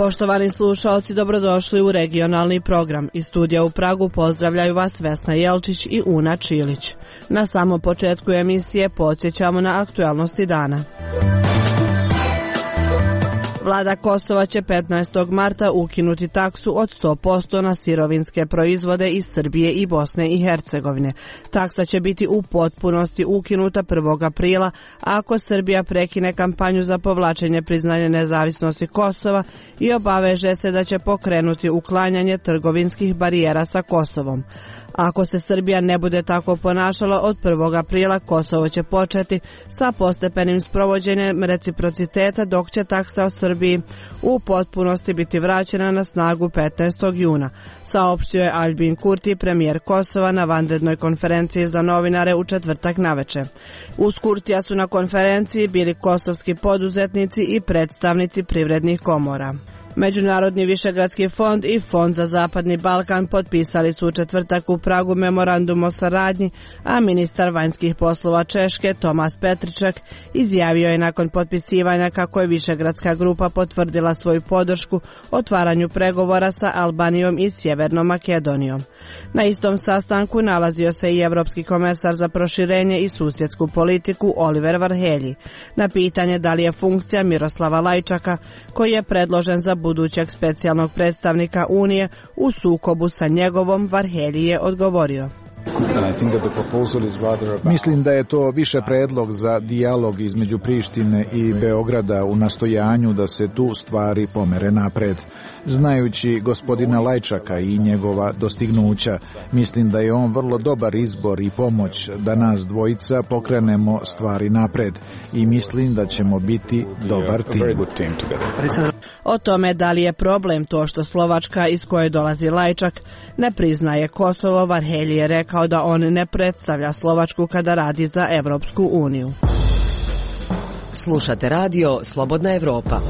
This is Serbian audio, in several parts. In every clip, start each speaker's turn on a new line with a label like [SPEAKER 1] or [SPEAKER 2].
[SPEAKER 1] Poštovani slušaoci, dobrodošli u regionalni program. Iz studija u Pragu pozdravljaju vas Vesna Jelčić i Una Čilić. Na samom početku emisije podsjećamo na aktualnosti dana. Vlada Kosova će 15. marta ukinuti taksu od 100% na sirovinske proizvode iz Srbije i Bosne i Hercegovine. Taksa će biti u potpunosti ukinuta 1. aprila ako Srbija prekine kampanju za povlačenje priznanja nezavisnosti Kosova i obaveže se da će pokrenuti uklanjanje trgovinskih barijera sa Kosovom. Ako se Srbija ne bude tako ponašala, od 1. aprila Kosovo će početi sa postepenim sprovođenjem reciprociteta, dok će taksa o Srbiji u potpunosti biti vraćena na snagu 15. juna, saopštio je Albin Kurti, premijer Kosova, na vanrednoj konferenciji za novinare u četvrtak naveče. Uz Kurtija su na konferenciji bili kosovski poduzetnici i predstavnici privrednih komora. Međunarodni višegradski fond i Fond za Zapadni Balkan potpisali su u četvrtak u Pragu memorandum o saradnji, a ministar vanjskih poslova Češke Tomas Petričak izjavio je nakon potpisivanja kako je višegradska grupa potvrdila svoju podršku otvaranju pregovora sa Albanijom i Sjevernom Makedonijom. Na istom sastanku nalazio se i evropski komesar za proširenje i susjedsku politiku Oliver Varhelyi. Na pitanje da li je funkcija Miroslava Lajčaka, koji je predložen za budućeg specijalnog predstavnika Unije, u sukobu sa njegovom, Varhelyi je odgovorio:
[SPEAKER 2] Mislim da je to više predlog za dijalog između Prištine i Beograda u nastojanju da se tu stvari pomere napred. Znajući gospodina Lajčaka i njegova dostignuća, mislim da je on vrlo dobar izbor i pomoć da nas dvojica pokrenemo stvari napred i mislim da ćemo biti dobar tim.
[SPEAKER 1] O tome da li je problem to što Slovačka, iz koje dolazi Lajčak, ne priznaje Kosovo, Varhelyi je rekao da on ne predstavlja Slovačku kada radi za Evropsku uniju.
[SPEAKER 3] Slušate radio Slobodna Evropa.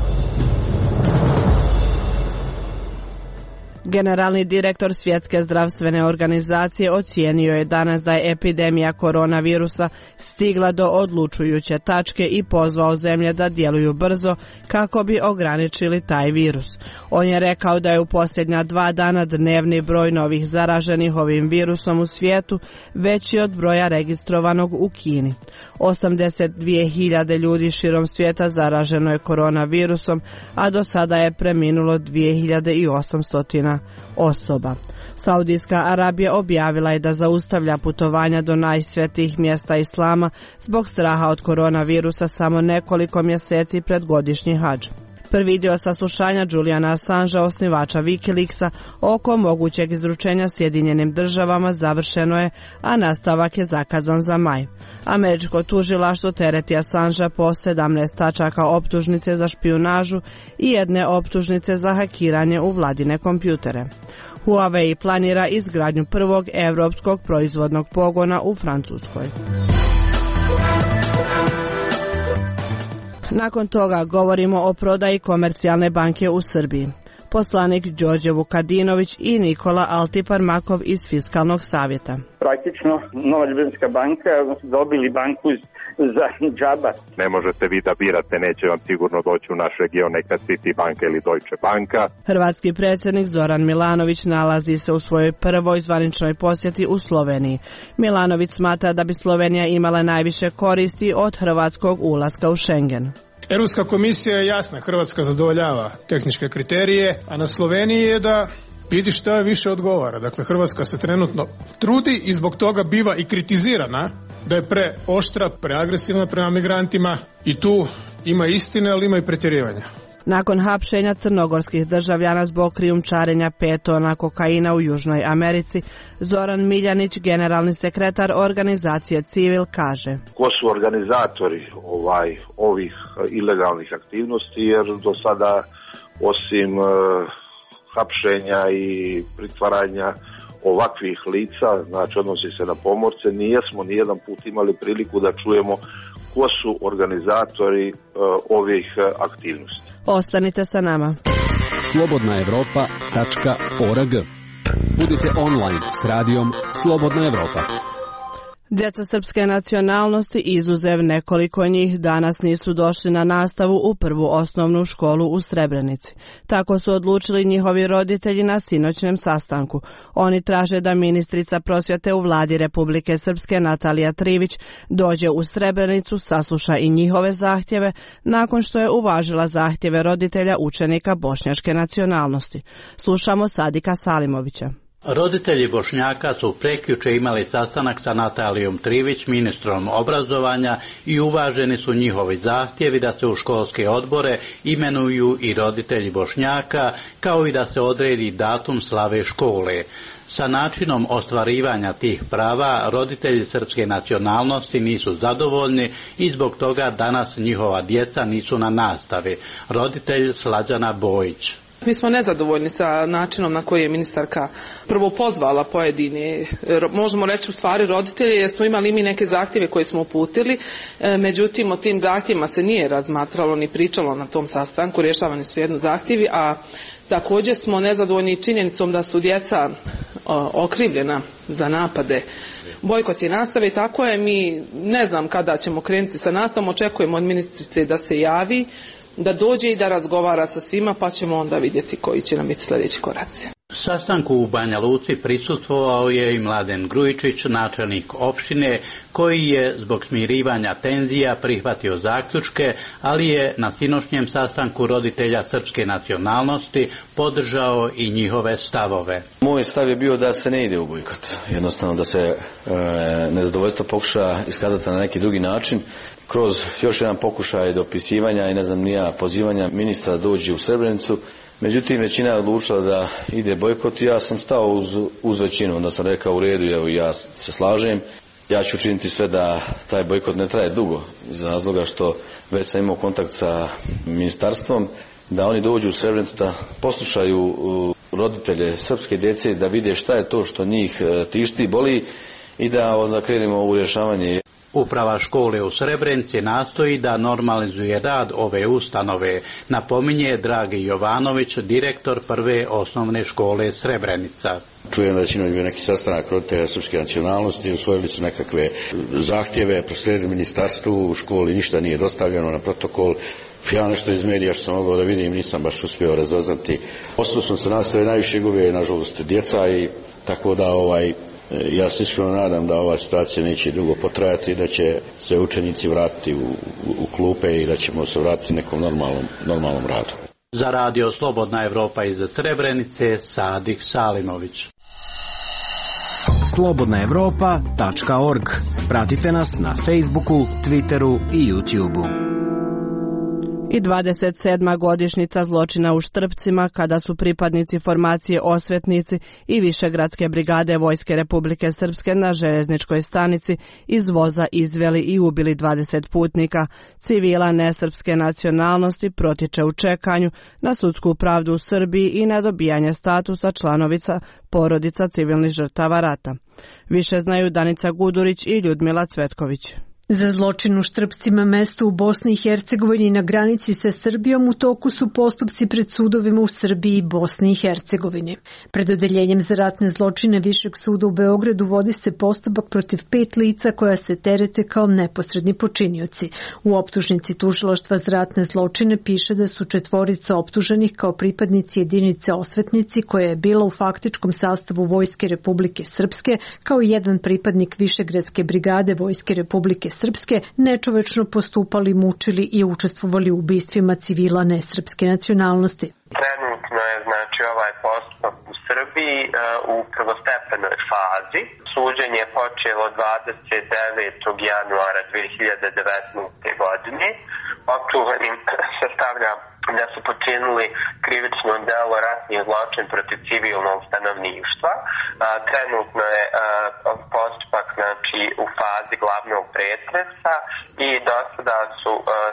[SPEAKER 1] Generalni direktor Svjetske zdravstvene organizacije ocijenio je danas da je epidemija koronavirusa stigla do odlučujuće tačke i pozvao zemlje da djeluju brzo kako bi ograničili taj virus. On je rekao da je u posljednja 2 dana dnevni broj novih zaraženih ovim virusom u svijetu veći od broja registrovanog u Kini. 82.000 ljudi širom svijeta zaraženo je koronavirusom, a do sada je preminulo 2.800 osoba. Saudijska Arabija objavila je da zaustavlja putovanja do najsvetijih mjesta islama zbog straha od koronavirusa samo nekoliko mjeseci pred godišnji hadž. Prvi dio saslušanja Juliana Assangea, osnivača Wikileaksa, oko mogućeg izručenja Sjedinjenim državama završeno je, a nastavak je zakazan za maj. Američko tužilaštvo tereti Assangea po 17 tačaka optužnice za špijunažu i 1 optužnice za hakiranje u vladine kompjutere. Huawei planira izgradnju prvog evropskog proizvodnog pogona u Francuskoj. Nakon toga govorimo o prodaji Komercijalne banke u Srbiji. Poslanik Đorđe Vukadinović i Nikola Altiparmakov iz Fiskalnog savjeta.
[SPEAKER 4] Praktično, Nova Ljubljanska banka dobili banku za džaba.
[SPEAKER 5] Ne možete vi da birate, neće vam sigurno doći u naš region neka City banka ili Deutsche banka.
[SPEAKER 1] Hrvatski predsjednik Zoran Milanović nalazi se u svojoj prvoj zvaničnoj posjeti u Sloveniji. Milanović smatra da bi Slovenija imala najviše koristi od hrvatskog ulaska u Schengen.
[SPEAKER 6] Europska komisija je jasna, Hrvatska zadovoljava tehničke kriterije, a na Sloveniji je da vidi što je više odgovara. Dakle, Hrvatska se trenutno trudi i zbog toga biva i kritizirana da je preoštra, preagresivna prema migrantima i tu ima istine, ali ima i pretjerivanja.
[SPEAKER 1] Nakon hapšenja crnogorskih državljana zbog krijumčarenja 5 tona kokaina u Južnoj Americi, Zoran Miljanić, generalni sekretar organizacije Civil, kaže:
[SPEAKER 7] Ko su organizatori ovih ilegalnih aktivnosti, jer do sada osim hapšenja i pritvaranja ovakvih lica, znači odnosi se na pomorce, nijesmo nijedan put imali priliku da čujemo ko su organizatori ovih aktivnosti.
[SPEAKER 1] Ostanite sa nama.
[SPEAKER 8] slobodnaevropa.org. Budite online s radijom Slobodna Evropa.
[SPEAKER 1] Djeca srpske nacionalnosti, izuzev nekoliko njih, danas nisu došli na nastavu u prvu osnovnu školu u Srebrenici. Tako su odlučili njihovi roditelji na sinoćnem sastanku. Oni traže da ministrica prosvjete u vladi Republike Srpske Natalija Trivić dođe u Srebrenicu, sasluša i njihove zahtjeve, nakon što je uvažila zahtjeve roditelja učenika bošnjačke nacionalnosti. Slušamo Sadika Salimovića.
[SPEAKER 8] Roditelji Bošnjaka su prekjuče imali sastanak sa Natalijom Trivić, ministrom obrazovanja, i uvaženi su njihovi zahtjevi da se u školske odbore imenuju i roditelji Bošnjaka, kao i da se odredi datum slave škole. Sa načinom ostvarivanja tih prava roditelji srpske nacionalnosti nisu zadovoljni i zbog toga danas njihova djeca nisu na nastavi. Roditelj Slađana Bojić.
[SPEAKER 9] Mi smo nezadovoljni sa načinom na koji je ministarka prvo pozvala pojedine, možemo reći u stvari roditelje, jer smo imali mi neke zahtjeve koje smo uputili, međutim o tim zahtjevima se nije razmatralo ni pričalo na tom sastanku, rješavani su jedno zahtjevi, a također smo nezadovoljni činjenicom da su djeca okrivljena za napade. Bojkot je nastave i tako je, mi ne znam kada ćemo krenuti sa nastavom, očekujemo od ministrice da se javi, da dođe i da razgovara sa svima, pa ćemo onda vidjeti koji će nam biti sljedeći koraci.
[SPEAKER 8] Sastanku u Banja Luci prisustvovao je i Mladen Grujičić, načelnik opštine, koji je zbog smirivanja tenzija prihvatio zaključke, ali je na sinoćnjem sastanku roditelja srpske nacionalnosti podržao i njihove stavove.
[SPEAKER 10] Moj stav je bio da se ne ide u bojkot, jednostavno da se nezadovoljstvo pokuša iskazati na neki drugi način, kroz još jedan pokušaj dopisivanja i pozivanja ministra da dođe u Srebrenicu. Međutim, većina je odlučila da ide bojkot i ja sam stao uz većinu, onda sam rekao u redu, evo ja se slažem. Ja ću učiniti sve da taj bojkot ne traje dugo, iz razloga što već sam imao kontakt sa ministarstvom, da oni dođu u Srebrenicu, da poslušaju roditelje srpske djece, da vide šta je to što njih tišti, boli i da onda krenemo u rješavanje.
[SPEAKER 8] Uprava škole u Srebrenici nastoji da normalizuje rad ove ustanove, napominje Dragi Jovanović, direktor prve osnovne škole Srebrenica.
[SPEAKER 11] Čujem da će imati neki sastanak roditelja srpske nacionalnosti, usvojili su nekakve zahtjeve, proslijedili ministarstvu, u školi ništa nije dostavljeno na protokol. Ja nešto iz medija što sam mogao da vidim nisam baš uspio razaznati. Odsustvom se nastave najviše gube, nažalost, djeca, i tako da ja se iskreno nadam da ova situacija neće dugo potrajati, da će se učenici vratiti u klupe i da ćemo se vratiti nekom normalnom radu.
[SPEAKER 8] Za radio Slobodna Evropa iz Srebrenice, Sadik Salimović.
[SPEAKER 12] slobodnaevropa.org. Pratite nas na Facebooku, Twitteru i YouTubeu.
[SPEAKER 1] I 27. godišnjica zločina u Štrpcima, kada su pripadnici formacije Osvetnici i Višegradske brigade Vojske Republike Srpske na željezničkoj stanici iz voza izveli i ubili 20 putnika. Civila nesrpske nacionalnosti protječe u čekanju na sudsku pravdu u Srbiji i na dobijanje statusa članovica porodica civilnih žrtava rata. Više znaju Danica Gudurić i Ljudmila Cvetković.
[SPEAKER 13] Za zločin u Štrpcima, mesto u Bosni i Hercegovini na granici sa Srbijom, u toku su postupci pred sudovima u Srbiji i Bosni i Hercegovini. Pred odeljenjem za ratne zločine Višeg suda u Beogradu vodi se postupak protiv 5 lica koja se terete kao neposredni počinioci. U optužnici tužilaštva za ratne zločine piše da su 4 optuženih kao pripadnici jedinice Osvetnici, koja je bila u faktičkom sastavu Vojske Republike Srpske, kao i 1 pripadnik Višegradske brigade Vojske Republike Srpske, nečovečno postupali, mučili i učestvovali u ubistvima civila nesrpske nacionalnosti.
[SPEAKER 14] Trenutno je ovaj postupak u Srbiji u prvostepenoj fazi. Suđenje je počelo 29. januara 2019. godine. Optuženim se stavlja da su počinili krivično delo ratni zločin protiv civilnog stanovništva. Trenutno je postupak u fazi glavnog pretresa i do sada su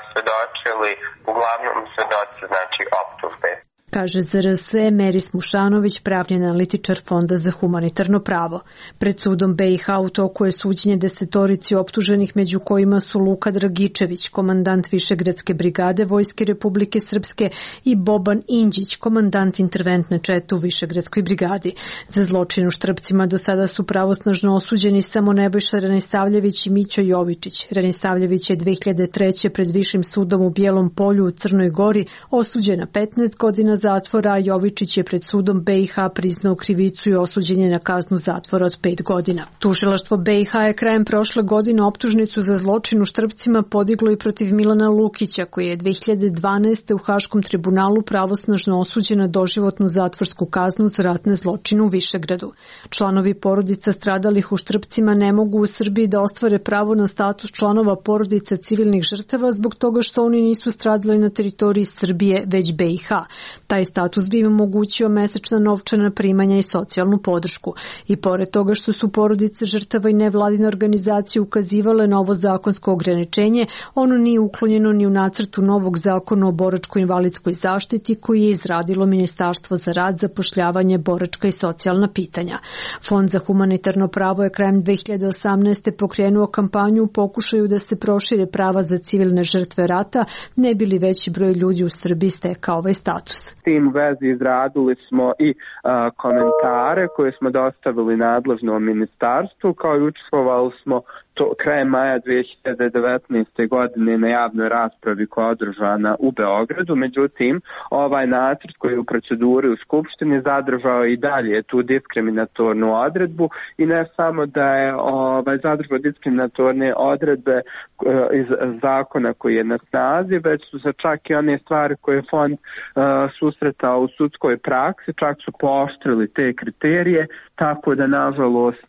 [SPEAKER 14] svedočili uglavnom svedoci optužbe.
[SPEAKER 13] kaže za RS Meris Mušanović, pravni analitičar Fonda za humanitarno pravo. Pred sudom BiH u toku je suđenje 10 optuženih, među kojima su Luka Dragičević, komandant Višegradske brigade Vojske Republike Srpske, i Boban Inđić, komandant interventne čete u Višegradskoj brigadi. Za zločin u Štrpcima do sada su pravosnažno osuđeni samo Nebojša Ranisavljević i Mićo Jovičić. Ranisavljević je 2003. pred Višim sudom u Bijelom Polju u Crnoj Gori osuđen na 15 godina zatvora, a Jovičić je pred sudom BiH priznao krivicu i osuđen je na kaznu zatvora od 5 godina. Tužilaštvo BiH je krajem prošle godine optužnicu za zločin u Štrpcima podiglo i protiv Milana Lukića, koji je 2012. u Haškom tribunalu pravosnažno osuđen na doživotnu zatvorsku kaznu za ratne zločine u Višegradu. Članovi porodica stradalih u Štrpcima ne mogu u Srbiji da ostvare pravo na status članova porodica civilnih žrtava zbog toga što oni nisu stradali na teritoriji Srbije, već BiH. Taj status bi im omogućio mesečna novčana primanja i socijalnu podršku. I pored toga što su porodice žrtava i nevladine organizacije ukazivale na ovo zakonsko ograničenje, ono nije uklonjeno ni u nacrtu novog zakona o boračko-invalidskoj zaštiti koji je izradilo Ministarstvo za rad, zapošljavanje, boračka i socijalna pitanja. Fond za humanitarno pravo je krajem 2018. pokrenuo kampanju u pokušaju da se prošire prava za civilne žrtve rata, ne bi li veći broj ljudi u Srbiji stekao ovaj status.
[SPEAKER 15] S tim u vezi izradili smo i komentare koje smo dostavili nadležnom ministarstvu, kao i učestvovali smo krajem maja 2019. godine na javnoj raspravi koja je održana u Beogradu. Međutim, ovaj nacrt koji je u proceduri u Skupštini zadržao i dalje tu diskriminatornu odredbu i ne samo da je zadržao diskriminatorne odredbe iz zakona koji je na snazi, već su se čak i one stvari koje je fond susretao u sudskoj praksi, čak su pooštrili te kriterije, tako da nažalost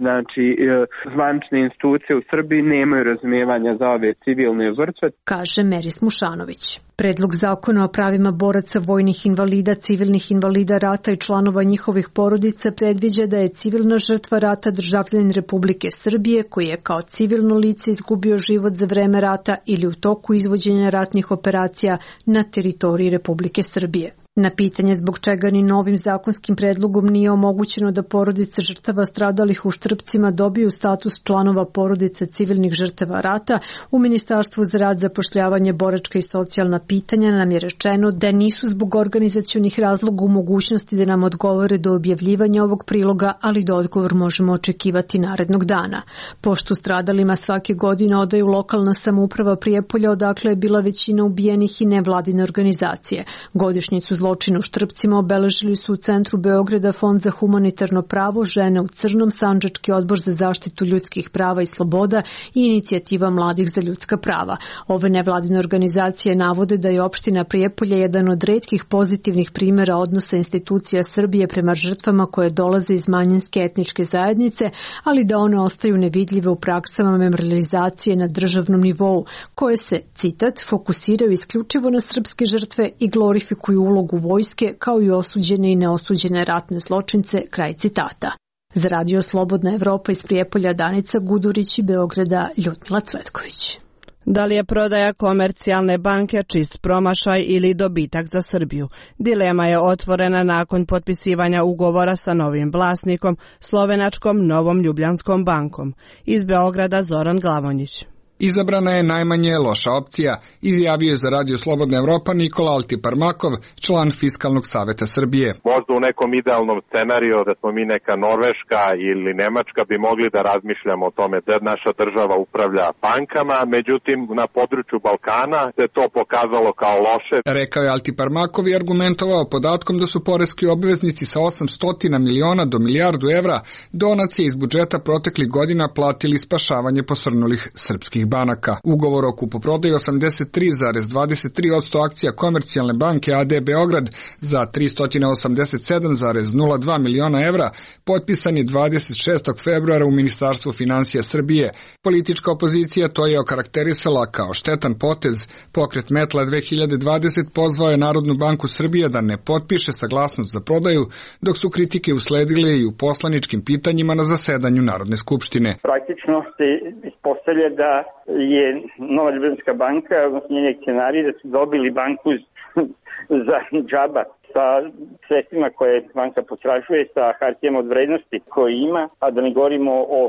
[SPEAKER 15] zvanične institucije u Srbiji nemaju razumijevanja za ove civilne žrtve,
[SPEAKER 13] kaže Meris Mušanović. Predlog zakona o pravima boraca, vojnih invalida, civilnih invalida rata i članova njihovih porodica predviđa da je civilna žrtva rata državljanin Republike Srbije koji je kao civilno lice izgubio život za vreme rata ili u toku izvođenja ratnih operacija na teritoriji Republike Srbije. Na pitanje zbog čega ni novim zakonskim predlogom nije omogućeno da porodice žrtava stradalih u Štrpcima dobiju status članova porodice civilnih žrtava rata, u Ministarstvu za rad, zapošljavanje, boračka i socijalna pitanja nam je rečeno da nisu zbog organizacionih razloga u mogućnosti da nam odgovore do objavljivanja ovog priloga, ali da odgovor možemo očekivati narednog dana. Poštu stradalima svake godine odaju lokalna samouprava Prijepolja, odakle je bila većina ubijenih, i nevladine organizacije. Godišnjicu zločina u Štrpcima obeležili su u centru Beograda Fond za humanitarno pravo, Žene u crnom, Sandžački odbor za zaštitu ljudskih prava i sloboda i Inicijativa mladih za ljudska prava. Ove nevladine organizacije navode da je opština Prijepolje jedan od retkih pozitivnih primjera odnosa institucija Srbije prema žrtvama koje dolaze iz manjinske etničke zajednice, ali da one ostaju nevidljive u praksama memorializacije na državnom nivou, koje se, citat, fokusiraju isključivo na srpske žrtve i glorifikuju ulogu vojske kao i osuđene i neosuđene ratne zločince, kraj citata. Za Radio Slobodna Evropa iz Prijepolja Danica Gudurić i Beograda Ljudmila Cvetković.
[SPEAKER 1] Da li je prodaja Komercijalne banke čist promašaj ili dobitak za Srbiju? Dilema je otvorena nakon potpisivanja ugovora sa novim vlasnikom, slovenačkom Novom Ljubljanskom bankom. Iz Beograda Zoran Glavonjić.
[SPEAKER 16] Izabrana je najmanje loša opcija, izjavio je za Radio Slobodna Evropa Nikola Altiparmakov, član Fiskalnog saveta Srbije.
[SPEAKER 5] Možda u nekom idealnom scenariju da smo mi neka Norveška ili Nemačka bi mogli da razmišljamo o tome da naša država upravlja bankama, međutim na području Balkana se to pokazalo kao loše.
[SPEAKER 16] Rekao je Altiparmakov i argumentovao podatkom da su poreski obveznici sa 800 miliona do milijardu evra donacije iz budžeta proteklih godina platili spašavanje posrnulih srpskih banaka. Ugovor o kupoprodaji 83,23% akcija Komercijalne banke AD Beograd za 387,02 miliona evra potpisan je 26. februara u Ministarstvu finansija Srbije. Politička opozicija to je okarakterisala kao štetan potez. Pokret Metla 2020 pozvao je Narodnu banku Srbije da ne potpiše saglasnost za prodaju, dok su kritike usledile i u poslaničkim pitanjima na zasedanju Narodne skupštine.
[SPEAKER 4] Praktično se ispostavlja da je Nova Ljubljanska banka, odnosno njeni akcionari, da su dobili banku za džaba. sa sredstvima koje banka potražuje, sa hartijama od vrednosti koje ima, a da ne govorimo o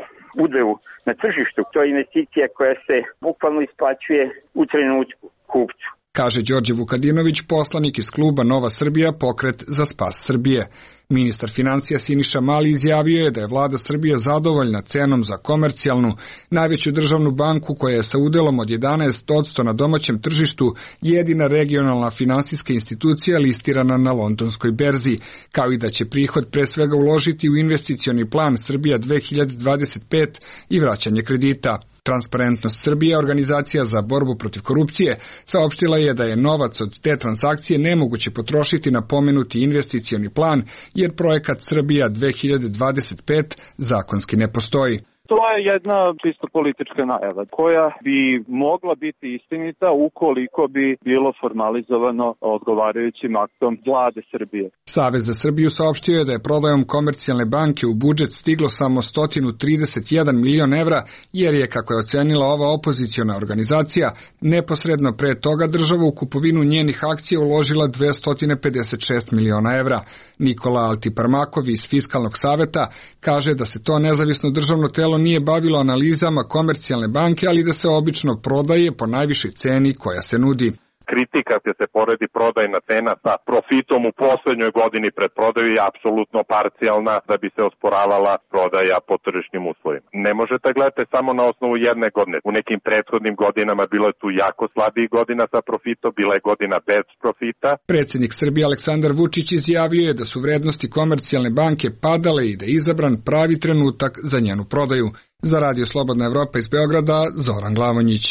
[SPEAKER 4] udelu na tržištu. To je investicija koja se bukvalno isplaćuje u trenutku kupcu.
[SPEAKER 16] Kaže Đorđe Vukadinović, poslanik iz kluba Nova Srbija, pokret za spas Srbije. Ministar financija Siniša Mali izjavio je da je vlada Srbije zadovoljna cenom za komercijalnu, najveću državnu banku koja je sa udelom od 11% na domaćem tržištu jedina regionalna finansijska institucija listirana na londonskoj berzi, kao i da će prihod pre svega uložiti u investicioni plan Srbija 2025 i vraćanje kredita. Transparentnost Srbije, organizacija za borbu protiv korupcije, saopštila je da je novac od te transakcije nemoguće potrošiti na pomenuti investicioni plan, jer projekat Srbija 2025 zakonski ne postoji.
[SPEAKER 17] To je jedna čisto politička najava koja bi mogla biti istinita ukoliko bi bilo formalizovano odgovarajućim aktom vlade Srbije.
[SPEAKER 16] Savez za Srbiju saopštio je da je prodajom Komercijalne banke u budžet stiglo samo 131 milion evra, jer je, kako je ocenila ova opoziciona organizacija, neposredno pre toga država u kupovinu njenih akcija uložila 256 miliona evra. Nikola Altiparmakov iz Fiskalnog saveta kaže da se to nezavisno državno telo nije bavilo analizama Komercijalne banke, ali da se obično prodaje po najvišoj ceni koja se nudi.
[SPEAKER 5] Kritika kad se poredi prodajna cena sa profitom u poslednjoj godini pred prodaju je apsolutno parcijalna da bi se osporavala prodaja po tržišnim uslovima. Ne možete gledati samo na osnovu jedne godine. U nekim prethodnim godinama bilo je tu jako slabih godina sa profitom, bila je godina bez profita. Predsjednik Srbije Aleksandar Vučić izjavio je da su vrednosti Komercijalne banke padale i da je izabran pravi trenutak za njenu prodaju. Za Radio Slobodna Evropa iz Beograda, Zoran Glavonjić.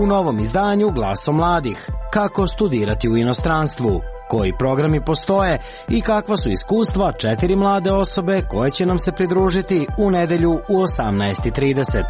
[SPEAKER 12] U novom izdanju Glaso mladih. Kako studirati u inostranstvu? Koji programi postoje i kakva su iskustva 4 mlade osobe koje će nam se pridružiti u nedelju u 18:30.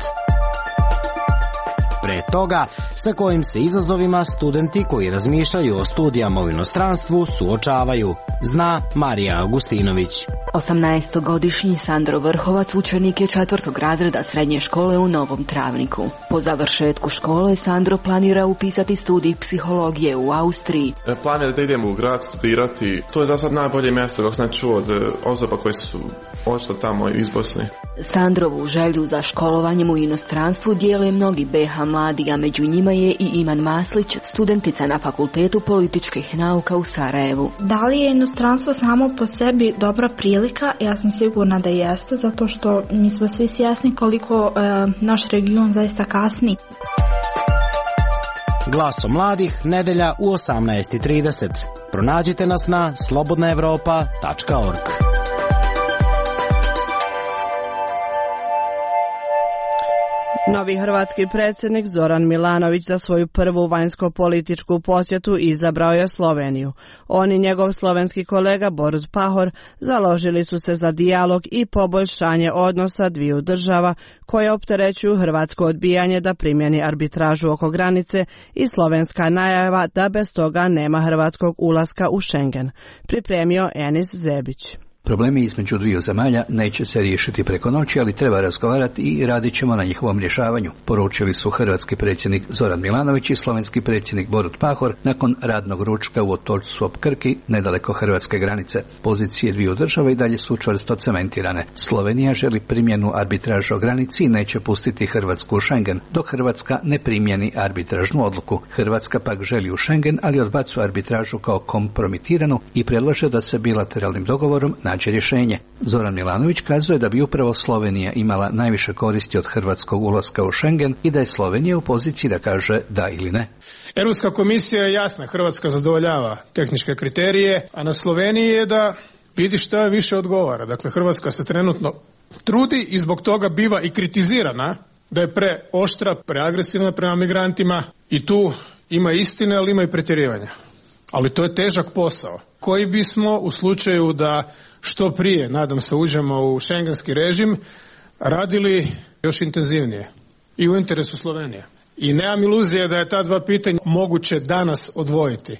[SPEAKER 12] Pre toga, sa kojim se izazovima studenti koji razmišljaju o studijama u inostranstvu suočavaju, zna Marija Augustinović.
[SPEAKER 18] 18-godišnji Sandro Vrhovac učenik je 4. razreda srednje škole u Novom Travniku. Po završetku škole Sandro planira upisati studij psihologije u Austriji.
[SPEAKER 19] Plan je da idemo u grad studirati. To je za sad najbolje mjesto dok sam čuo od osoba koje su ošli tamo iz Bosne.
[SPEAKER 18] Sandrovu želju za školovanjem u inostranstvu dijele mnogi BH mladi, a među njima je i Iman Maslić, studentica na Fakultetu političkih nauka u Sarajevu.
[SPEAKER 20] Da li je inostranstvo samo po sebi dobra prilika? Ja sam sigurna da jeste, zato što mi smo svi svjesni koliko naš region zaista kasni.
[SPEAKER 12] Glaso mladih, nedelja u 18:30. Pronađite nas na slobodnaevropa.org.
[SPEAKER 1] Novi hrvatski predsjednik Zoran Milanović za svoju prvu vanjsko-političku posjetu izabrao je Sloveniju. On i njegov slovenski kolega Borut Pahor založili su se za dijalog i poboljšanje odnosa dviju država koje opterećuju hrvatsko odbijanje da primjeni arbitražu oko granice i slovenska najava da bez toga nema hrvatskog ulaska u Schengen. Pripremio Enis Zebić.
[SPEAKER 21] Problemi između dviju zemalja neće se riješiti preko noći, ali treba razgovarati i radit ćemo na njihovom rješavanju, poručili su hrvatski predsjednik Zoran Milanović i slovenski predsjednik Borut Pahor nakon radnog ručka u Otočcu ob Krki, nedaleko hrvatske granice. Pozicije dviju država i dalje su čvrsto cementirane. Slovenija želi primjenu arbitraže o granici i neće pustiti Hrvatsku u Schengen, dok Hrvatska ne primjeni arbitražnu odluku. Hrvatska pak želi u Schengen, ali odbacuje arbitražu kao kompromitiranu i predlaže da se bilateralnim dogovorom nađe rješenje. Zoran Milanović kazuje da bi upravo Slovenija imala najviše koristi od hrvatskog ulaska u Schengen i da je Slovenija u poziciji da kaže da ili ne.
[SPEAKER 6] Europska komisija je jasna, Hrvatska zadovoljava tehničke kriterije, a na Sloveniji je da vidi šta više odgovara. Dakle, Hrvatska se trenutno trudi i zbog toga biva i kritizirana da je preoštra, preagresivna prema migrantima i tu ima istine, ali ima i pretjerivanja. Ali to je težak posao koji bismo u slučaju da što prije, nadam se, uđemo u šengenski režim, radili još intenzivnije i u interesu Slovenije. I nemam iluzije da je ta dva pitanja moguće danas odvojiti,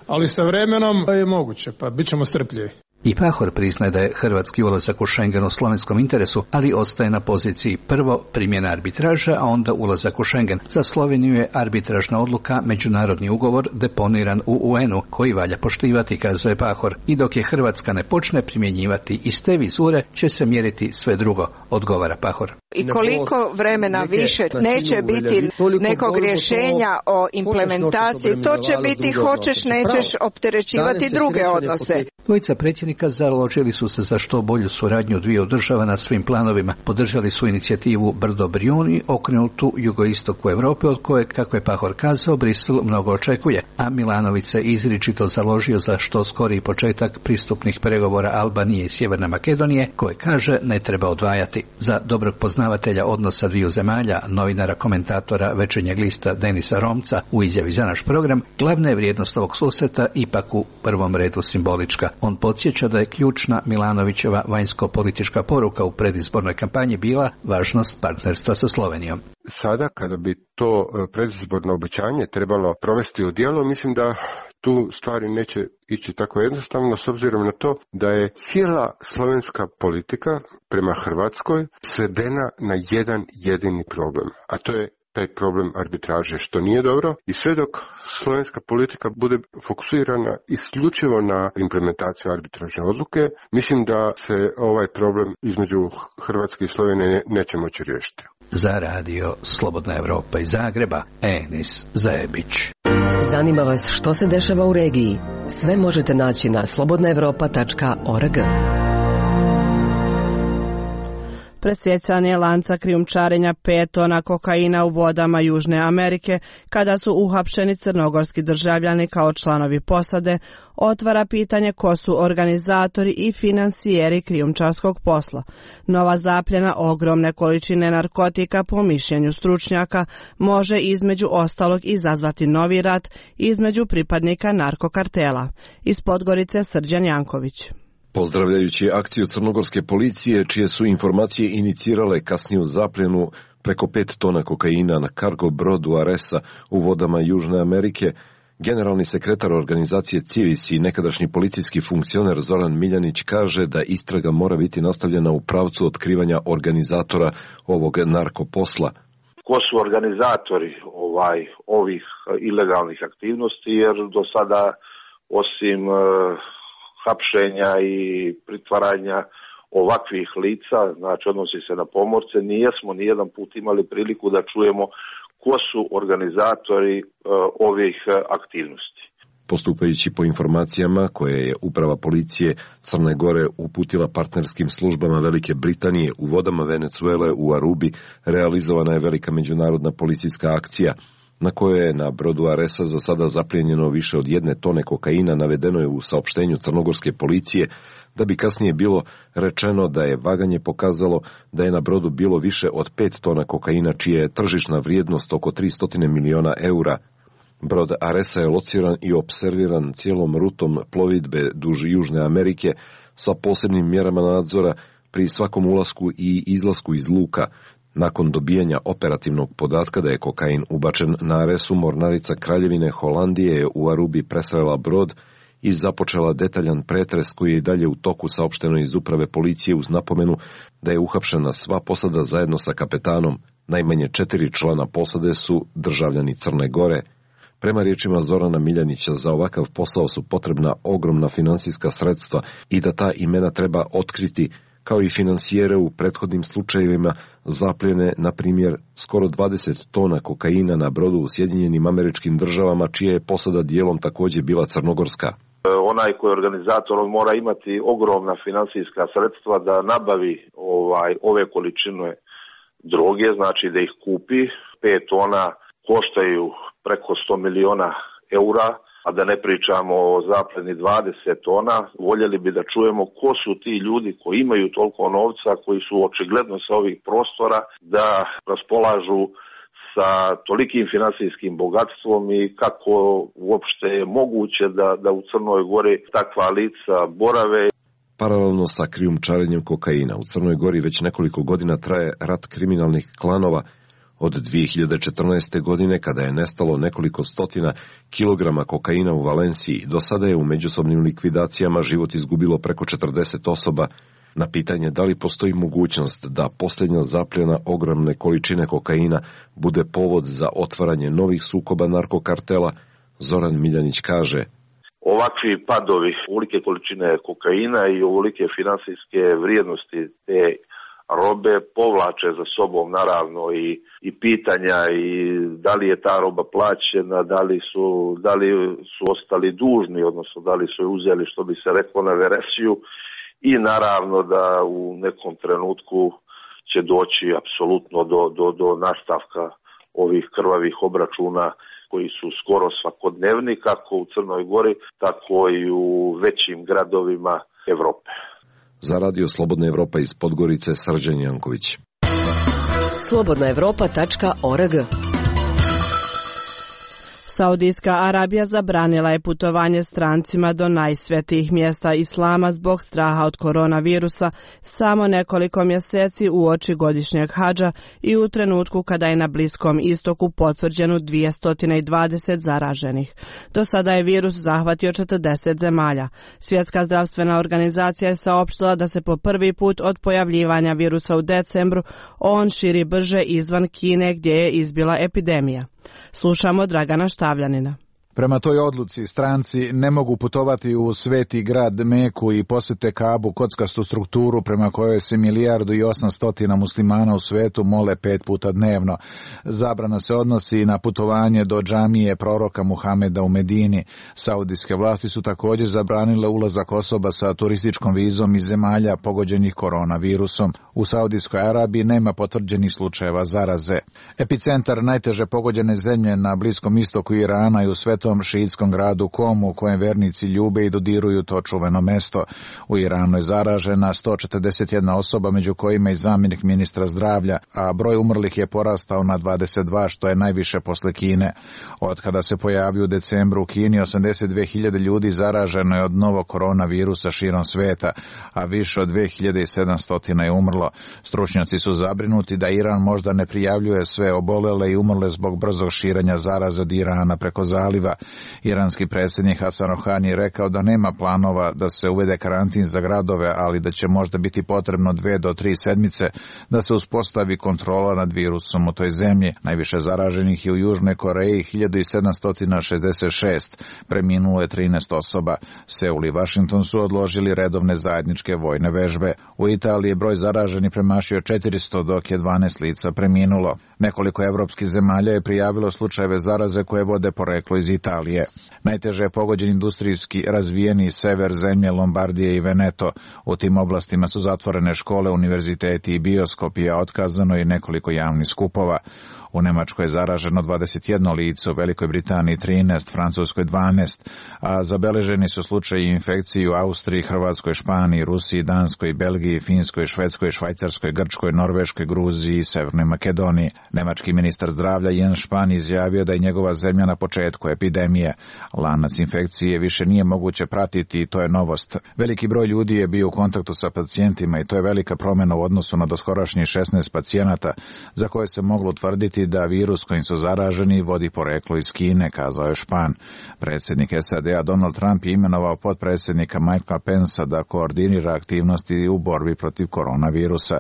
[SPEAKER 6] ali sa vremenom je moguće, pa bit ćemo strpljivi.
[SPEAKER 21] I Pahor priznaje da je hrvatski ulazak u Schengen u slovenskom interesu, ali ostaje na poziciji prvo primjena arbitraža, a onda ulazak u Schengen. Za Sloveniju je arbitražna odluka međunarodni ugovor deponiran u UN-u koji valja poštivati, kazuje Pahor. I dok je Hrvatska ne počne primjenjivati iste vizure, će se mjeriti sve drugo, odgovara Pahor.
[SPEAKER 2] I koliko vremena više neće biti nekog rješenja o implementaciji, to će biti hoćeš nećeš opterećivati druge odnose.
[SPEAKER 21] Dvojica predsjednika založili su se za što bolju suradnju dviju država na svim planovima. Podržali su inicijativu Brdo Brijuni, okrenutu jugoistoku Europe, od koje, kako je Pahor kazao, Brisel mnogo očekuje, a Milanović se izričito založio za što skoriji početak pristupnih pregovora Albanije i Sjeverne Makedonije, koje kaže ne treba odvajati. Za dobrog poznavatelja odnosa dviju zemalja, novinara komentatora Večernjeg lista Denisa Romca u izjavi za naš program, glavna je vrijednost ovog susreta ipak u prvom redu simbolička. On podsjeća da je ključna Milanovićeva vanjsko-politička poruka u predizbornoj kampanji bila važnost partnerstva sa Slovenijom.
[SPEAKER 22] Sada, kada bi to predizborno obećanje trebalo provesti u djelo, mislim da tu stvari neće ići tako jednostavno, s obzirom na to da je cijela slovenska politika prema Hrvatskoj svedena na jedan jedini problem, a to je taj problem arbitraže, što nije dobro, i sve dok slovenska politika bude fokusirana isključivo na implementaciju arbitražne odluke, mislim da se ovaj problem između Hrvatske i Slovenije neće moći riješiti.
[SPEAKER 21] Za radio Slobodna Evropa iz Zagreba, Enis Zajebić.
[SPEAKER 3] Zanima vas što se dešava u regiji? Sve možete naći na slobodnaevropa.org.
[SPEAKER 1] Presjecanje lanca krijumčarenja 5 tona kokaina u vodama Južne Amerike, kada su uhapšeni crnogorski državljani kao članovi posade, otvara pitanje ko su organizatori i finansijeri krijumčarskog posla. Nova zapljena ogromne količine narkotika, po mišljenju stručnjaka, može između ostalog izazvati novi rat između pripadnika narkokartela. Iz Podgorice Srđan Janković.
[SPEAKER 23] Pozdravljajući akciju crnogorske policije, čije su informacije inicirale kasniju zapljenu preko 5 tona kokaina na kargo brodu Aresa u vodama Južne Amerike, generalni sekretar organizacije Civis i nekadašnji policijski funkcioner Zoran Miljanić kaže da istraga mora biti nastavljena u pravcu otkrivanja organizatora ovog narkoposla.
[SPEAKER 7] Ko su organizatori ovih ilegalnih aktivnosti, jer do sada osim hapšenja i pritvaranja ovakvih lica, znači odnosi se na pomorce, nijesmo nijedan put imali priliku da čujemo ko su organizatori ovih aktivnosti.
[SPEAKER 23] Postupajući po informacijama koje je uprava policije Crne Gore uputila partnerskim službama Velike Britanije u vodama Venecuele u Arubi, realizovana je velika međunarodna policijska akcija na kojoj je na brodu Aresa za sada zaplijenjeno više od 1 tone kokaina, navedeno je u saopštenju crnogorske policije, da bi kasnije bilo rečeno da je vaganje pokazalo da je na brodu bilo više od 5 tona kokaina, čija je tržišna vrijednost oko 300 miliona eura. Brod Aresa je lociran i opserviran cijelom rutom plovidbe duž Južne Amerike sa posebnim mjerama nadzora pri svakom ulasku i izlasku iz luka. Nakon dobijanja operativnog podatka da je kokain ubačen na Aresu, mornarica Kraljevine Holandije je u Arubi presrela brod i započela detaljan pretres koji je i dalje u toku, saopšteno iz uprave policije, uz napomenu da je uhapšena sva posada zajedno sa kapetanom. Najmanje 4 člana posade su državljani Crne Gore. Prema riječima Zorana Miljanića, za ovakav posao su potrebna ogromna finansijska sredstva i da ta imena treba otkriti, kao i finansijere u prethodnim slučajevima zapljene, na primjer, skoro 20 tona kokaina na brodu u Sjedinjenim Američkim Državama, čija je posada dijelom također bila crnogorska.
[SPEAKER 7] Onaj koji je organizator, on mora imati ogromna finansijska sredstva da nabavi ove količine droge, znači da ih kupi. 5 tona koštaju preko 100 miliona eura, a da ne pričamo o zapljeni 20 tona. Voljeli bi da čujemo ko su ti ljudi koji imaju toliko novca, koji su očigledno sa ovih prostora, da raspolažu sa tolikim finansijskim bogatstvom i kako uopšte je moguće da u Crnoj Gori takva lica borave.
[SPEAKER 23] Paralelno sa krijumčarenjem kokaina u Crnoj Gori već nekoliko godina traje rat kriminalnih klanova Od 2014. godine, kada je nestalo nekoliko stotina kilograma kokaina u Valenciji, do sada je u međusobnim likvidacijama život izgubilo preko 40 osoba. Na pitanje da li postoji mogućnost da posljednja zapljena ogromne količine kokaina bude povod za otvaranje novih sukoba narkokartela, Zoran Miljanić kaže:
[SPEAKER 7] ovakvi padovi, ovolike količine kokaina i ovolike finansijske vrijednosti te robe povlače za sobom naravno i pitanja i da li je ta roba plaćena, da li su ostali dužni, odnosno da li su je uzeli, što bi se reklo, na veresiju, i naravno da u nekom trenutku će doći apsolutno do nastavka ovih krvavih obračuna koji su skoro svakodnevni, kako u Crnoj Gori, tako i u većim gradovima Evrope.
[SPEAKER 23] Za Radio Slobodna Evropa iz Podgorice, Srđan Janković.
[SPEAKER 3] slobodnaevropa.org.
[SPEAKER 1] Saudijska Arabija zabranila je putovanje strancima do najsvetijih mjesta islama zbog straha od koronavirusa samo nekoliko mjeseci uoči godišnjeg hadža i u trenutku kada je na Bliskom istoku potvrđeno 220 zaraženih. Do sada je virus zahvatio 40 zemalja. Svjetska zdravstvena organizacija je saopštila da se po prvi put od pojavljivanja virusa u decembru on širi brže izvan Kine gdje je izbila epidemija. Slušamo Dragana Štavljanina.
[SPEAKER 9] Prema toj odluci stranci ne mogu putovati u sveti grad Meku i posjete Kabu, kockastu strukturu prema kojoj se 1.800.000 muslimana u svetu mole 5 puta dnevno. Zabrana se odnosi na putovanje do džamije proroka Muhameda u Medini. Saudijske vlasti su također zabranile ulazak osoba sa turističkom vizom iz zemalja pogođenih koronavirusom. U Saudijskoj Arabiji nema potvrđenih slučajeva zaraze. Epicentar najteže pogođene zemlje na Bliskom istoku Irana i u svetom šiitskom gradu Komu, u kojem vernici ljube i dodiruju to čuveno mesto. U Iranu je zaražena 141 osoba, među kojima i zamjenik ministra zdravlja, a broj umrlih je porastao na 22, što je najviše posle Kine. Od kada se pojavio u decembru u Kini, 82.000 ljudi zaraženo je od novog koronavirusa širom sveta, a više od 2.700 je umrlo. Stručnjaci su zabrinuti da Iran možda ne prijavljuje sve obolele i umrle zbog brzog širenja zaraze od Irana preko zaliva. Iranski predsjednik Hasan Rohani je rekao da nema planova da se uvede karantin za gradove, ali da će možda biti potrebno 2 do 3 sedmice da se uspostavi kontrola nad virusom u toj zemlji. Najviše zaraženih je u Južnoj Koreji, 1766, preminulo je 13 osoba. Seul i Washington su odložili redovne zajedničke vojne vežbe. U Italiji je broj zaraženih premašio 400, dok je 12 lica preminulo. Nekoliko evropskih zemalja je prijavilo slučajeve zaraze koje vode poreklo iz Italije. Najteže je pogođen industrijski razvijeni sever zemlje Lombardije i Veneto. U tim oblastima su zatvorene škole, univerziteti i bioskopi, a otkazano je nekoliko javnih skupova. U Nemačkoj je zaraženo 21 lice, u Velikoj Britaniji 13, Francuskoj 12, a zabeleženi su slučaji infekcije u Austriji, Hrvatskoj, Španiji, Rusiji, Danskoj, Belgiji, Finskoj, Švedskoj, Švajcarskoj, Grčkoj, Norveškoj, Gruziji i Severnoj Makedoniji. Nemački ministar zdravlja Jens Spahn izjavio da je njegova zemlja na početku epidemije. Lanac infekcije više nije moguće pratiti i to je novost. Veliki broj ljudi je bio u kontaktu sa pacijentima i to je velika promjena u odnosu na doskorašnjih 16 pacijenata za koje se moglo utvrditi da virus kojim su zaraženi vodi poreklo iz Kine, kazao je Špan. Predsjednik SAD-a Donald Trump je imenovao potpredsjednika Mikea Pensa da koordinira aktivnosti u borbi protiv koronavirusa.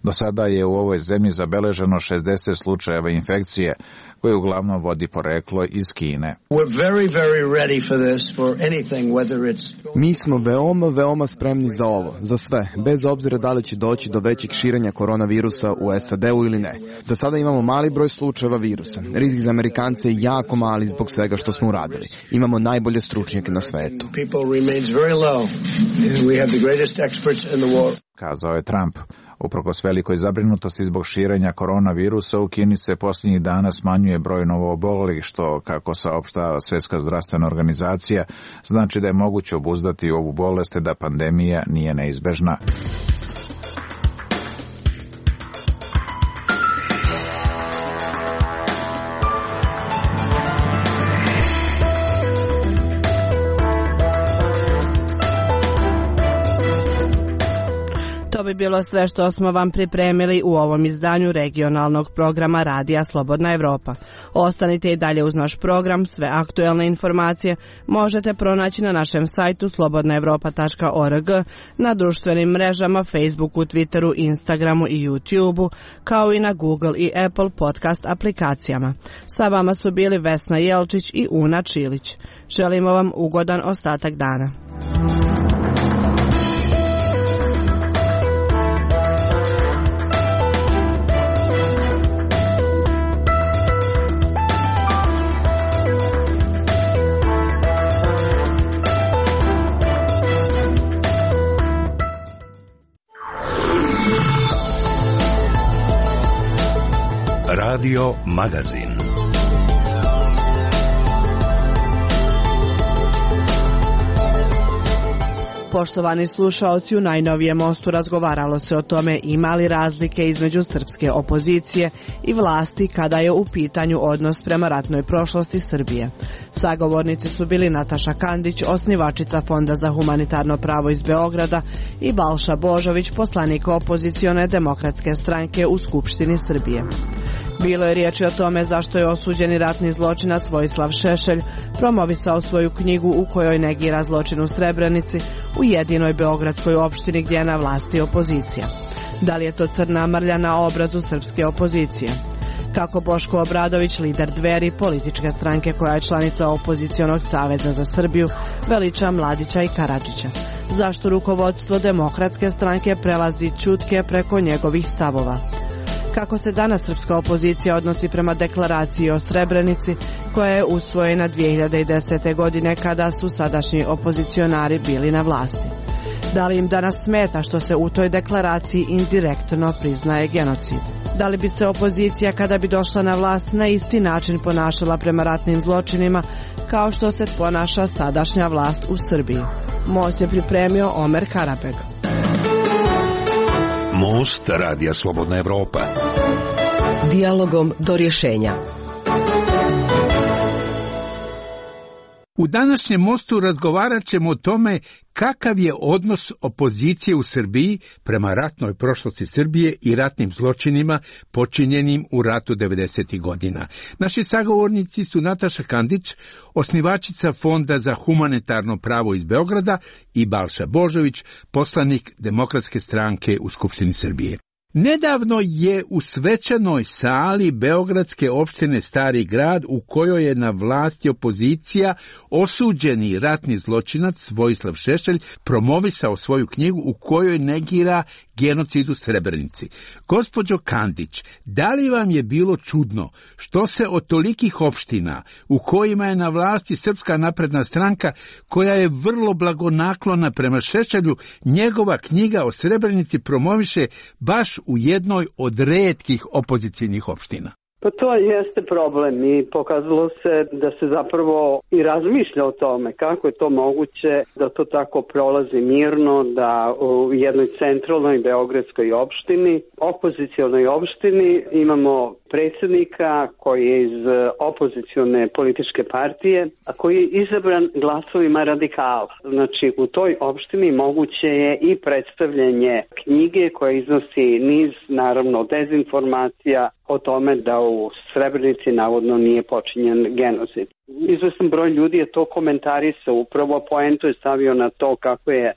[SPEAKER 9] Do sada je u ovoj zemlji zabeleženo 60 slučajeva infekcije, koje uglavnom vodi poreklo iz Kine.
[SPEAKER 10] Mi smo veoma spremni za ovo, za sve, bez obzira da li će doći do većeg širenja koronavirusa u SAD-u ili ne. Za sada imamo mali broj slučajeva virusa. Rizik za Amerikance je jako mali zbog svega što smo uradili. Imamo najbolje stručnjake na svetu.
[SPEAKER 9] Kazao je Trump. Uprkos velikoj zabrinutosti zbog širenja koronavirusa, u Kini se posljednjih dana smanjuje broj novoobolelih, što, kako saopštava Svjetska zdravstvena organizacija, znači da je moguće obuzdati ovu bolest te da pandemija nije neizbežna.
[SPEAKER 1] To bi bilo sve što smo vam pripremili u ovom izdanju regionalnog programa Radija Slobodna Evropa. Ostanite i dalje uz naš program, sve aktuelne informacije možete pronaći na našem sajtu slobodnaevropa.org, na društvenim mrežama Facebooku, Twitteru, Instagramu i YouTubeu, kao i na Google i Apple podcast aplikacijama. Sa vama su bili Vesna Jelčić i Una Čilić. Želimo vam ugodan ostatak dana.
[SPEAKER 8] Radio Magazin.
[SPEAKER 1] Poštovani slušaoci, u najnovijem mostu razgovaralo se o tome ima li razlike između srpske opozicije i vlasti kada je u pitanju odnos prema ratnoj prošlosti Srbije. Sagovornici su bili Nataša Kandić, osnivačica Fonda za humanitarno pravo iz Beograda, i Balša Božović, poslanik opozicione demokratske stranke u Skupštini Srbije. Bilo je riječi o tome zašto je osuđeni ratni zločinac Vojislav Šešelj promovisao svoju knjigu u kojoj negira zločin u Srebrenici, u jedinoj beogradskoj opštini gdje je na vlasti opozicija. Da li je to crna mrlja na obrazu srpske opozicije? Kako Boško Obradović, lider Dveri, političke stranke koja je članica opozicionog saveza za Srbiju, veliča Mladića i Karadžića? Zašto rukovodstvo demokratske stranke prelazi ćutke preko njegovih stavova? Kako se danas srpska opozicija odnosi prema deklaraciji o Srebrenici koja je usvojena 2010. godine kada su sadašnji opozicionari bili na vlasti? Da li im danas smeta što se u toj deklaraciji indirektno priznaje genocid? Da li bi se opozicija kada bi došla na vlast na isti način ponašala prema ratnim zločinima kao što se ponaša sadašnja vlast u Srbiji? Most je pripremio Omer Karapeg.
[SPEAKER 8] Most Radija Slobodna Evropa.
[SPEAKER 3] Dijalogom do rješenja.
[SPEAKER 11] U današnjem mostu razgovarat ćemo o tome kakav je odnos opozicije u Srbiji prema ratnoj prošlosti Srbije i ratnim zločinima počinjenim u ratu 90. godina. Naši sagovornici su Nataša Kandić, osnivačica Fonda za humanitarno pravo iz Beograda, i Balša Božović, poslanik Demokratske stranke u Skupštini Srbije. Nedavno je u svečanoj sali beogradske opštine Stari grad, u kojoj je na vlasti opozicija, osuđeni ratni zločinac Vojislav Šešelj promovisao svoju knjigu u kojoj negira genocid u Srebrenici. Gospođo Kandić, da li vam je bilo čudno što se od tolikih opština u kojima je na vlasti Srpska napredna stranka, koja je vrlo blagonaklona prema Šešelju, njegova knjiga o Srebrenici promoviše baš u jednoj od retkih opozicijnih opština?
[SPEAKER 14] Pa to jeste problem i pokazalo se da se zapravo i razmišlja o tome kako je to moguće da to tako prolazi mirno, da u jednoj centralnoj beogradskoj opštini, opozicionoj opštini, imamo predsjednika koji je iz opozicione političke partije, a koji je izabran glasovima radikala. Znači u toj opštini moguće je i predstavljanje knjige koja iznosi niz, naravno, dezinformacija o tome da u Srebrenici navodno nije počinjen genocid. Izvestan broj ljudi je to komentarisao, upravo poentu je stavio na to kako je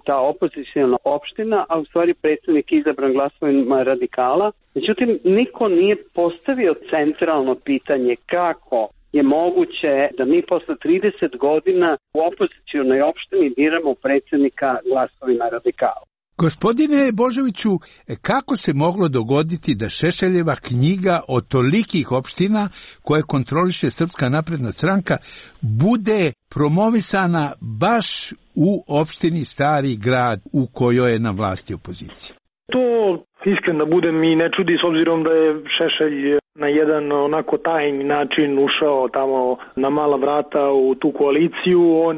[SPEAKER 14] ta opozicijona opština, a u stvari predsjednik izabran glasovima radikala. Međutim, niko nije postavio centralno pitanje kako je moguće da mi posle 30 godina u opozicijonoj opštini biramo predsjednika glasovima radikala.
[SPEAKER 11] Gospodine Božoviću, kako se moglo dogoditi da Šešeljeva knjiga o tolikih opština koje kontroliše Srpska napredna stranka bude promovisana baš u opštini Stari grad u kojoj je na vlasti opozicija?
[SPEAKER 24] To iskreno budem i ne čudi, s obzirom da je Šešelj na jedan onako tajni način ušao tamo na mala vrata u tu koaliciju. On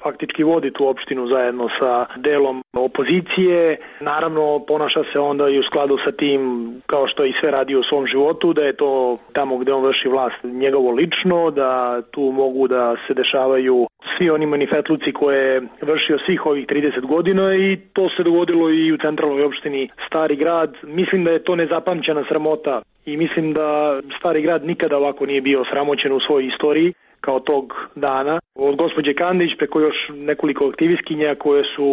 [SPEAKER 24] faktički vodi tu opštinu zajedno sa delom opozicije. Naravno, ponaša se onda i u skladu sa tim, kao što i sve radi u svom životu, da je to tamo gde on vrši vlast njegovo lično, da tu mogu da se dešavaju svi oni manifetluci koje je vršio svih ovih 30 godina i to se dogodilo i u centralnoj opštini Stari Grad. Mislim da je to nezapamćena sramota i mislim da Stari Grad nikada ovako nije bio sramoćen u svojoj istoriji kao tog dana. Od gospođe Kandić preko još nekoliko aktivistkinja koje su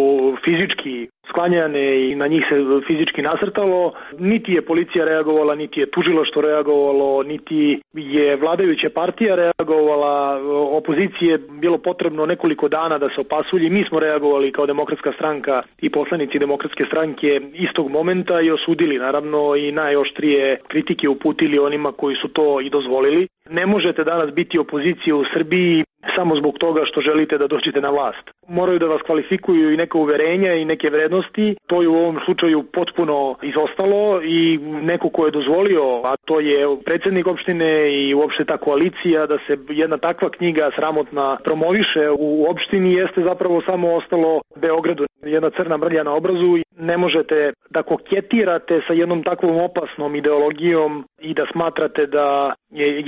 [SPEAKER 24] fizički sklanjane i na njih se fizički nasrtalo, niti je policija reagovala, niti je tužilaštvo reagovalo, niti je vladajuća partija reagovala, opozicije bilo potrebno nekoliko dana da se opasulji. Mi smo reagovali kao Demokratska stranka i poslanici Demokratske stranke istog momenta i osudili naravno i najoštrije kritike uputili onima koji su to i dozvolili. Ne možete danas biti opozicija u Srbiji samo zbog toga što želite da dođete na vlast. Moraju da vas kvalifikuju i neka uverenja i neke vrednosti. To je u ovom slučaju potpuno izostalo i neko ko je dozvolio, a to je predsjednik opštine i uopšte ta koalicija, da se jedna takva knjiga sramotna promoviše u opštini, jeste zapravo samo ostalo Beogradu. Jedna crna mrlja na obrazu. Ne možete da koketirate sa jednom takvom opasnom ideologijom i da smatrate da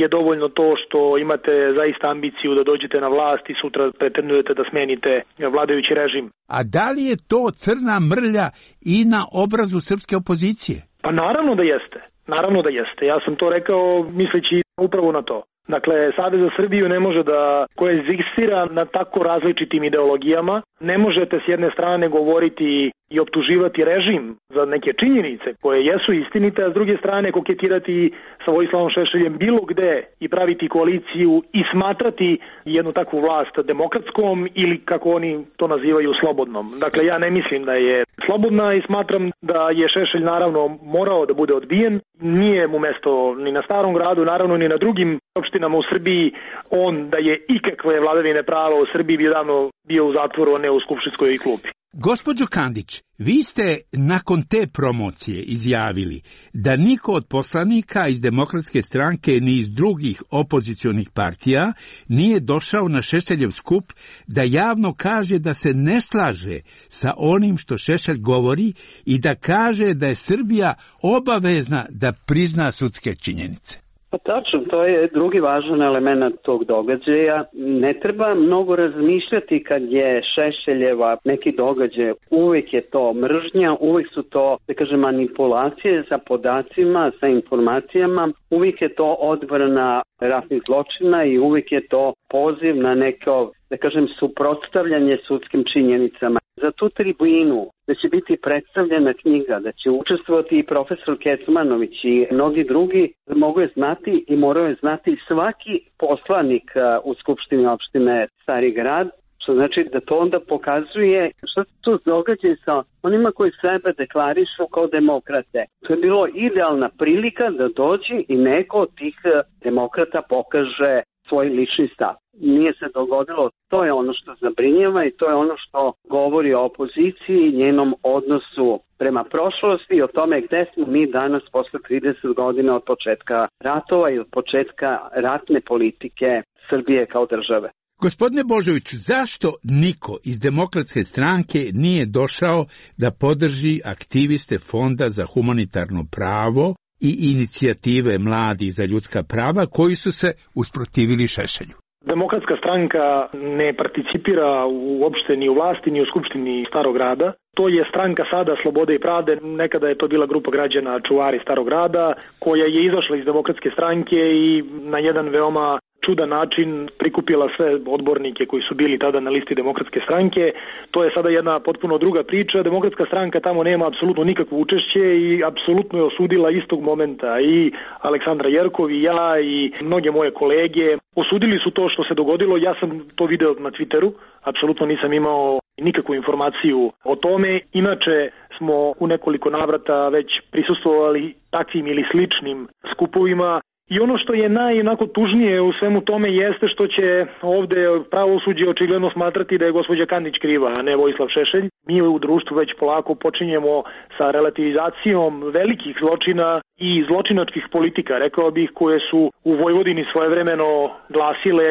[SPEAKER 24] je dovoljno to što imate zaista ambiciju da dođete na vlast i sutra pretendujete da smenite vladajući režim.
[SPEAKER 11] A da li je to crna mrlja i na obrazu srpske opozicije?
[SPEAKER 24] Pa naravno da jeste. Naravno da jeste. Ja sam to rekao misleći upravo na to. Dakle, Savez za Srbiju ne može da koegzistira na tako različitim ideologijama. Ne možete s jedne strane govoriti i optuživati režim za neke činjenice koje jesu istinite, a s druge strane koketirati sa Vojislavom Šešeljem bilo gde i praviti koaliciju i smatrati jednu takvu vlast demokratskom ili kako oni to nazivaju slobodnom. Dakle, ja ne mislim da je slobodna i smatram da je Šešelj naravno morao da bude odbijen. Nije mu mesto ni na Starom Gradu, naravno ni na drugim opštinama u Srbiji. On da je ikakve vladavine prava u Srbiji bi davno bio u zatvoru, a ne u skupštinskoj klupi.
[SPEAKER 11] Gospođo Kandić, vi ste nakon te promocije izjavili da niko od poslanika iz Demokratske stranke ni iz drugih opozicionih partija nije došao na Šešeljev skup da javno kaže da se ne slaže sa onim što Šešelj govori i da kaže da je Srbija obavezna da prizna sudske činjenice.
[SPEAKER 14] Pa tačno, to je drugi važan element tog događaja. Ne treba mnogo razmišljati kad je Šešeljeva neki događaj. Uvijek je to mržnja, uvijek su to, da kažem, manipulacije sa podacima, sa informacijama. Uvijek je to odbrana ratnih zločina i uvijek je to poziv na neko, da kažem, suprotstavljanje sudskim činjenicama. Za tu tribinu da će biti predstavljena knjiga, da će učestvovati i profesor Kecmanović i mnogi drugi, mogu je znati i moraju je znati svaki poslanik u Skupštini opštine Stari Grad, što znači da to onda pokazuje što se tu događa sa onima koji sebe deklarišu kao demokrate. To je bilo idealna prilika da dođe i neko od tih demokrata pokaže svoj lični stav. Nije se dogodilo, to je ono što zabrinjava i to je ono što govori o opoziciji i njenom odnosu prema prošlosti i o tome gde smo mi danas posle 30 godina od početka ratova i od početka ratne politike Srbije kao države.
[SPEAKER 11] Gospodine Božoviću, zašto niko iz Demokratske stranke nije došao da podrži aktiviste Fonda za humanitarno pravo i inicijative Mladih za ljudska prava koji su se usprotivili Šešelju?
[SPEAKER 24] Demokratska stranka ne participira uopšte ni u vlasti ni u Skupštini Starog Grada. To je stranka sada Slobode i pravde, nekada je to bila grupa građana čuvari Starog Grada koja je izašla iz Demokratske stranke i na jedan veoma čudan način prikupila sve odbornike koji su bili tada na listi Demokratske stranke. To je sada jedna potpuno druga priča. Demokratska stranka tamo nema apsolutno nikakvo učešće i apsolutno je osudila istog momenta i Aleksandra Jerkov i ja i mnoge moje kolege. Osudili su to što se dogodilo. Ja sam to video na Twitteru. Apsolutno nisam imao nikakvu informaciju o tome. Inače smo u nekoliko navrata već prisustvovali takvim ili sličnim skupovima I ono što je najonako tužnije u svemu tome jeste što će ovde pravosuđe očigledno smatrati da je gospođa Kandić kriva, a ne Vojislav Šešelj. Mi u društvu već polako počinjemo sa relativizacijom velikih zločina i zločinačkih politika, rekao bih, koje su u Vojvodini svojevremeno glasile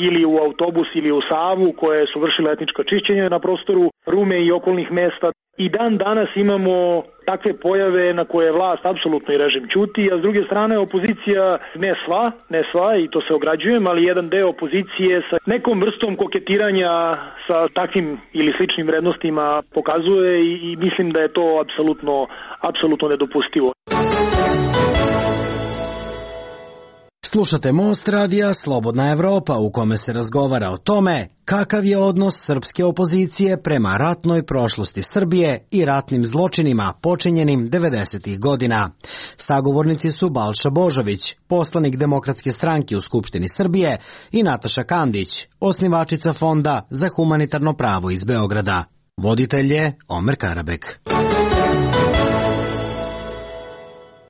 [SPEAKER 24] ili u autobus ili u Savu, koje su vršile etnička čišćenja na prostoru Rume i okolnih mesta. I dan danas imamo takve pojave na koje vlast apsolutno i režim ćuti, a s druge strane opozicija ne sva i to se ograđujem, ali jedan deo opozicije sa nekom vrstom koketiranja sa takvim ili sličnim vrednostima pokazuje i mislim da je to apsolutno nedopustivo.
[SPEAKER 12] Slušate Most radija Slobodna Evropa u kome se razgovara o tome kakav je odnos srpske opozicije prema ratnoj prošlosti Srbije i ratnim zločinima počinjenim 90. godina. Sagovornici su Balša Božović, poslanik Demokratske stranke u Skupštini Srbije, i Nataša Kandić, osnivačica Fonda za humanitarno pravo iz Beograda. Voditelj je Omer Karabek.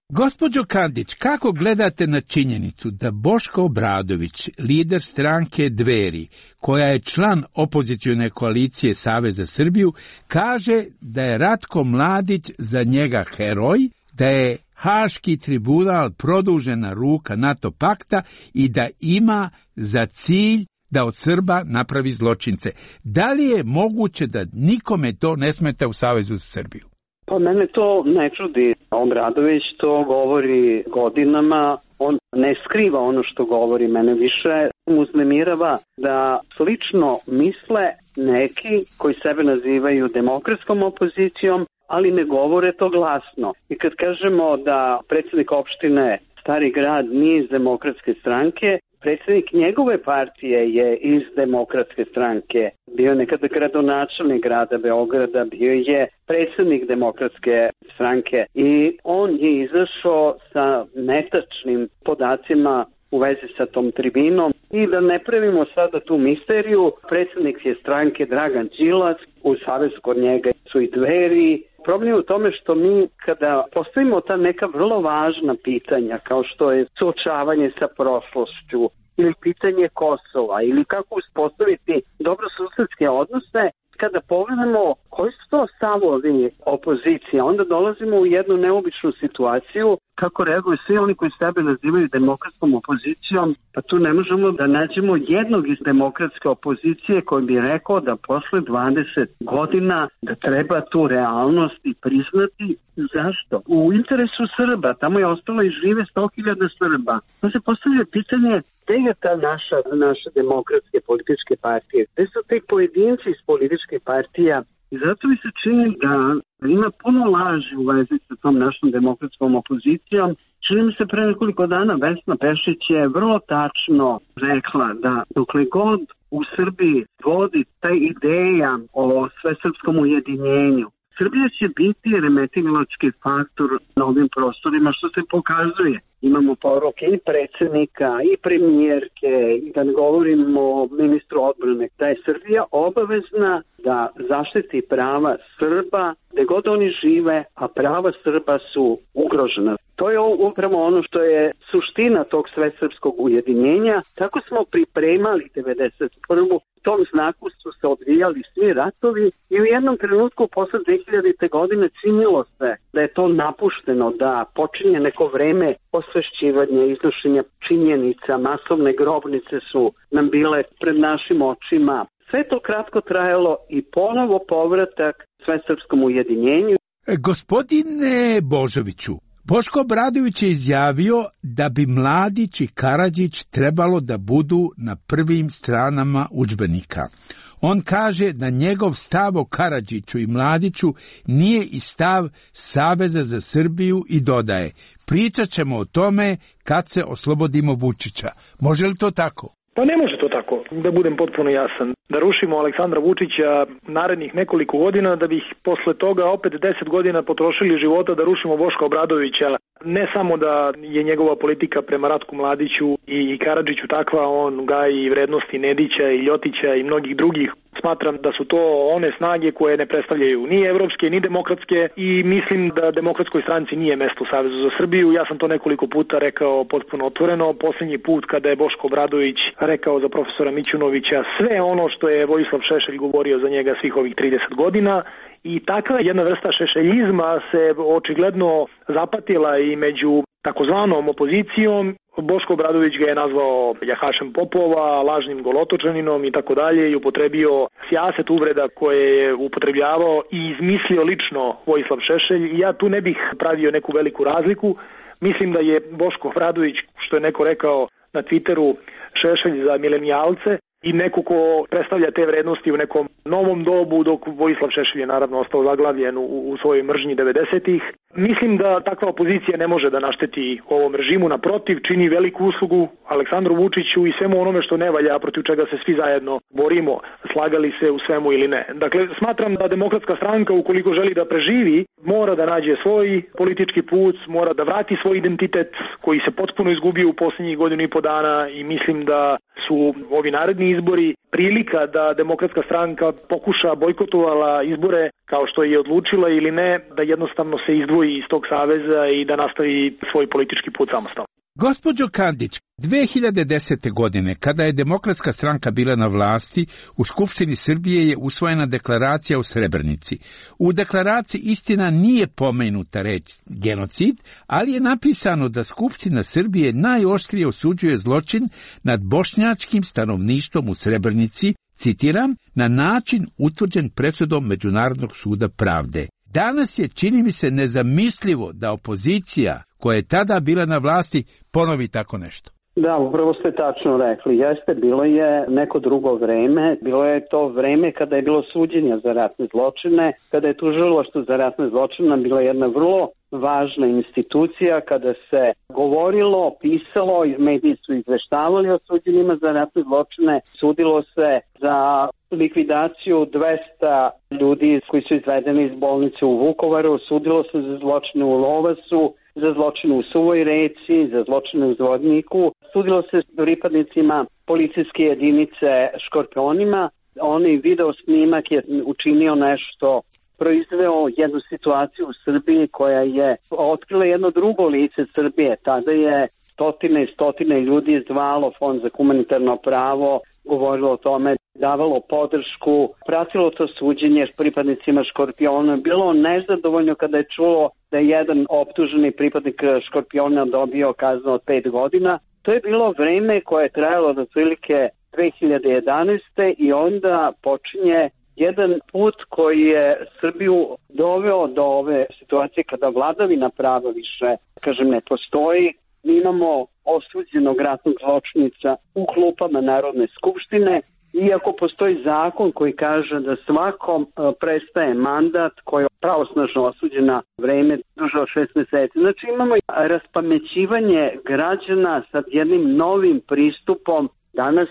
[SPEAKER 11] Gospođo Kandić, kako gledate na činjenicu da Boško Obradović, lider stranke Dveri, koja je član opozicione koalicije Savez za Srbiju, kaže da je Ratko Mladić za njega heroj, da je Haški tribunal produžena ruka NATO pakta i da ima za cilj da od Srba napravi zločince? Da li je moguće da nikome to ne smeta u Savezu za Srbiju?
[SPEAKER 14] Pa mene to ne čudi. Obradović to govori godinama, on ne skriva ono što govori. Mene više uznemirava da slično misle neki koji sebe nazivaju demokratskom opozicijom, ali ne govore to glasno. I kad kažemo da predsjednik opštine Stari Grad nije iz Demokratske stranke, predsjednik njegove partije je iz Demokratske stranke. Bio je nekada gradonačelnik grada Beograda, bio je predsjednik Demokratske stranke i on je izašao sa netačnim podacima u vezi sa tom tribinom. I da ne pravimo sada tu misteriju, predsjednik je stranke Dragan Đilas, u savezu kod njega su i Dveri. Problem je u tome što mi kada postavimo ta neka vrlo važna pitanja, kao što je suočavanje sa prošlošću ili pitanje Kosova ili kako uspostaviti dobrosusedske odnose, kada pogledamo koji su to stavovi opozicije, onda dolazimo u jednu neobičnu situaciju kako reaguju svi oni koji sebe nazivaju demokratskom opozicijom, pa tu ne možemo da nađemo jednog iz demokratske opozicije koji bi rekao da posle 20 godina da treba tu realnost i priznati. Zašto? U interesu Srba, tamo je ostalo i žive 100.000 Srba. Pa se postavlja pitanje gde je ta naše demokratske političke partije, gde su te pojedinci iz političke partija. I zato mi se čini da ima puno laži u vezi sa tom našom demokratskom opozicijom. Čini mi se pre nekoliko dana Vesna Pešić je vrlo tačno rekla da dokle god u Srbiji vodi ta ideja o svesrpskom ujedinjenju, Srbija će biti remetilački faktor na ovim prostorima, što se pokazuje. Imamo poruke i predsjednika i premijerke, i da ne govorimo o ministru odbrane, da je Srbija obavezna da zaštiti prava Srba gde god oni žive, a prava Srba su ugrožena. To je upravo ono što je suština tog svesrpskog ujedinjenja. Tako smo pripremali 1991. U tom znaku su se odvijali svi ratovi i u jednom trenutku posle 2000. godine činilo se da je to napušteno, da počinje neko vreme osvešćivanja, iznošenja činjenica, masovne grobnice su nam bile pred našim očima. Sve to kratko trajalo i ponovo povratak svesrpskom ujedinjenju.
[SPEAKER 11] Gospodine Božoviću, Boško Obradović je izjavio da bi Mladić i Karadžić trebalo da budu na prvim stranama udžbenika. On kaže da njegov stav o Karadžiću i Mladiću nije i stav Saveza za Srbiju i dodaje: pričat ćemo o tome kad se oslobodimo Vučića. Može li to tako?
[SPEAKER 24] Pa ne može to tako, da budem potpuno jasan. Da rušimo Aleksandra Vučića narednih nekoliko godina, da bih posle toga opet 10 godina potrošili života da rušimo Boška Obradovića. Ne samo da je njegova politika prema Ratku Mladiću i Karadžiću takva, on gaji vrednosti Nedića i Ljotića i mnogih drugih Smatram da su to one snage koje ne predstavljaju ni evropske, ni demokratske i mislim da Demokratskoj stranci nije mesto u Savezu za Srbiju. Ja sam to nekoliko puta rekao potpuno otvoreno. Poslednji put kada je Boško Obradović rekao za profesora Mićunovića sve ono što je Vojislav Šešelj govorio za njega svih ovih 30 godina. I takva jedna vrsta šešeljizma se očigledno zapatila i među takozvanom opozicijom. Boško Obradović ga je nazvao jahašem popova, lažnim golotočaninom i tako dalje i upotrebio sijaset uvreda koje je upotrebljavao i izmislio lično Vojislav Šešelj. I ja tu ne bih pravio neku veliku razliku. Mislim da je Boško Obradović, što je neko rekao na Twitteru, Šešelj za milenijalce i neko ko predstavlja te vrednosti u nekom novom dobu, dok Vojislav Šešelj je naravno ostao zaglavljen u svojoj mržnji 90-ih. Mislim da takva opozicija ne može da našteti ovom režimu, naprotiv, čini veliku uslugu Aleksandru Vučiću i svemu onome što ne valja, protiv čega se svi zajedno borimo, slagali se u svemu ili ne. Dakle, smatram da Demokratska stranka, ukoliko želi da preživi, mora da nađe svoj politički put, mora da vrati svoj identitet koji se potpuno izgubio u posljednjih godinu i po dana i mislim da su ovi naredni izbori prilika da Demokratska stranka pokuša bojkotovala izbore kao što je odlučila ili ne, da jednostavno se izdvoji iz tog saveza i da nastavi svoj politički put samostalno.
[SPEAKER 11] Gospođo Kandić, 2010. godine, kada je Demokratska stranka bila na vlasti, u Skupštini Srbije je usvojena deklaracija o Srebrenici. U deklaraciji istina nije pomenuta reč genocid, ali je napisano da Skupština Srbije najoštrije osuđuje zločin nad bošnjačkim stanovništvom u Srebrenici, citiram, na način utvrđen presudom Međunarodnog suda pravde. Danas je, čini mi se, nezamislivo da opozicija koja je tada bila na vlasti ponovi tako nešto.
[SPEAKER 14] Da, upravo ste tačno rekli. Jeste, bilo je neko drugo vreme. Bilo je to vreme kada je bilo suđenja za ratne zločine, kada je tužilaštvo za ratne zločine bila jedna vrlo važna institucija, kada se govorilo, pisalo, mediji su izveštavali o suđenjima za ratne zločine, sudilo se za likvidaciju 200 ljudi koji su izvedeni iz bolnice u Vukovaru, sudilo se za zločine u Lovasu, za zločine u Suvoj Reci, za zločine u Zvodniku, sudilo se pripadnicima policijske jedinice Škorpionima. Onaj video snimak je učinio nešto, proizveo jednu situaciju u Srbiji koja je otkrila jedno drugo lice Srbije. Tada je stotine i stotine ljudi zvalo Fond za humanitarno pravo, govorilo o tome, davalo podršku, pratilo to suđenje pripadnicima Škorpiona, bilo nezadovoljno kada je čulo da je jedan optuženi pripadnik Škorpiona dobio kaznu od 5 godina. To je bilo vreme koje je trajalo do otprilike 2011. i onda počinje jedan put koji je Srbiju doveo do ove situacije kada vladavina prava više, ne postoji. Mi imamo osuđenog ratnog zločinica u klupama Narodne skupštine, iako postoji zakon koji kaže da svakom prestaje mandat koji je pravosnažno osuđen na vreme duže od 6 meseci. Znači imamo raspamećivanje građana sa jednim novim pristupom. Danas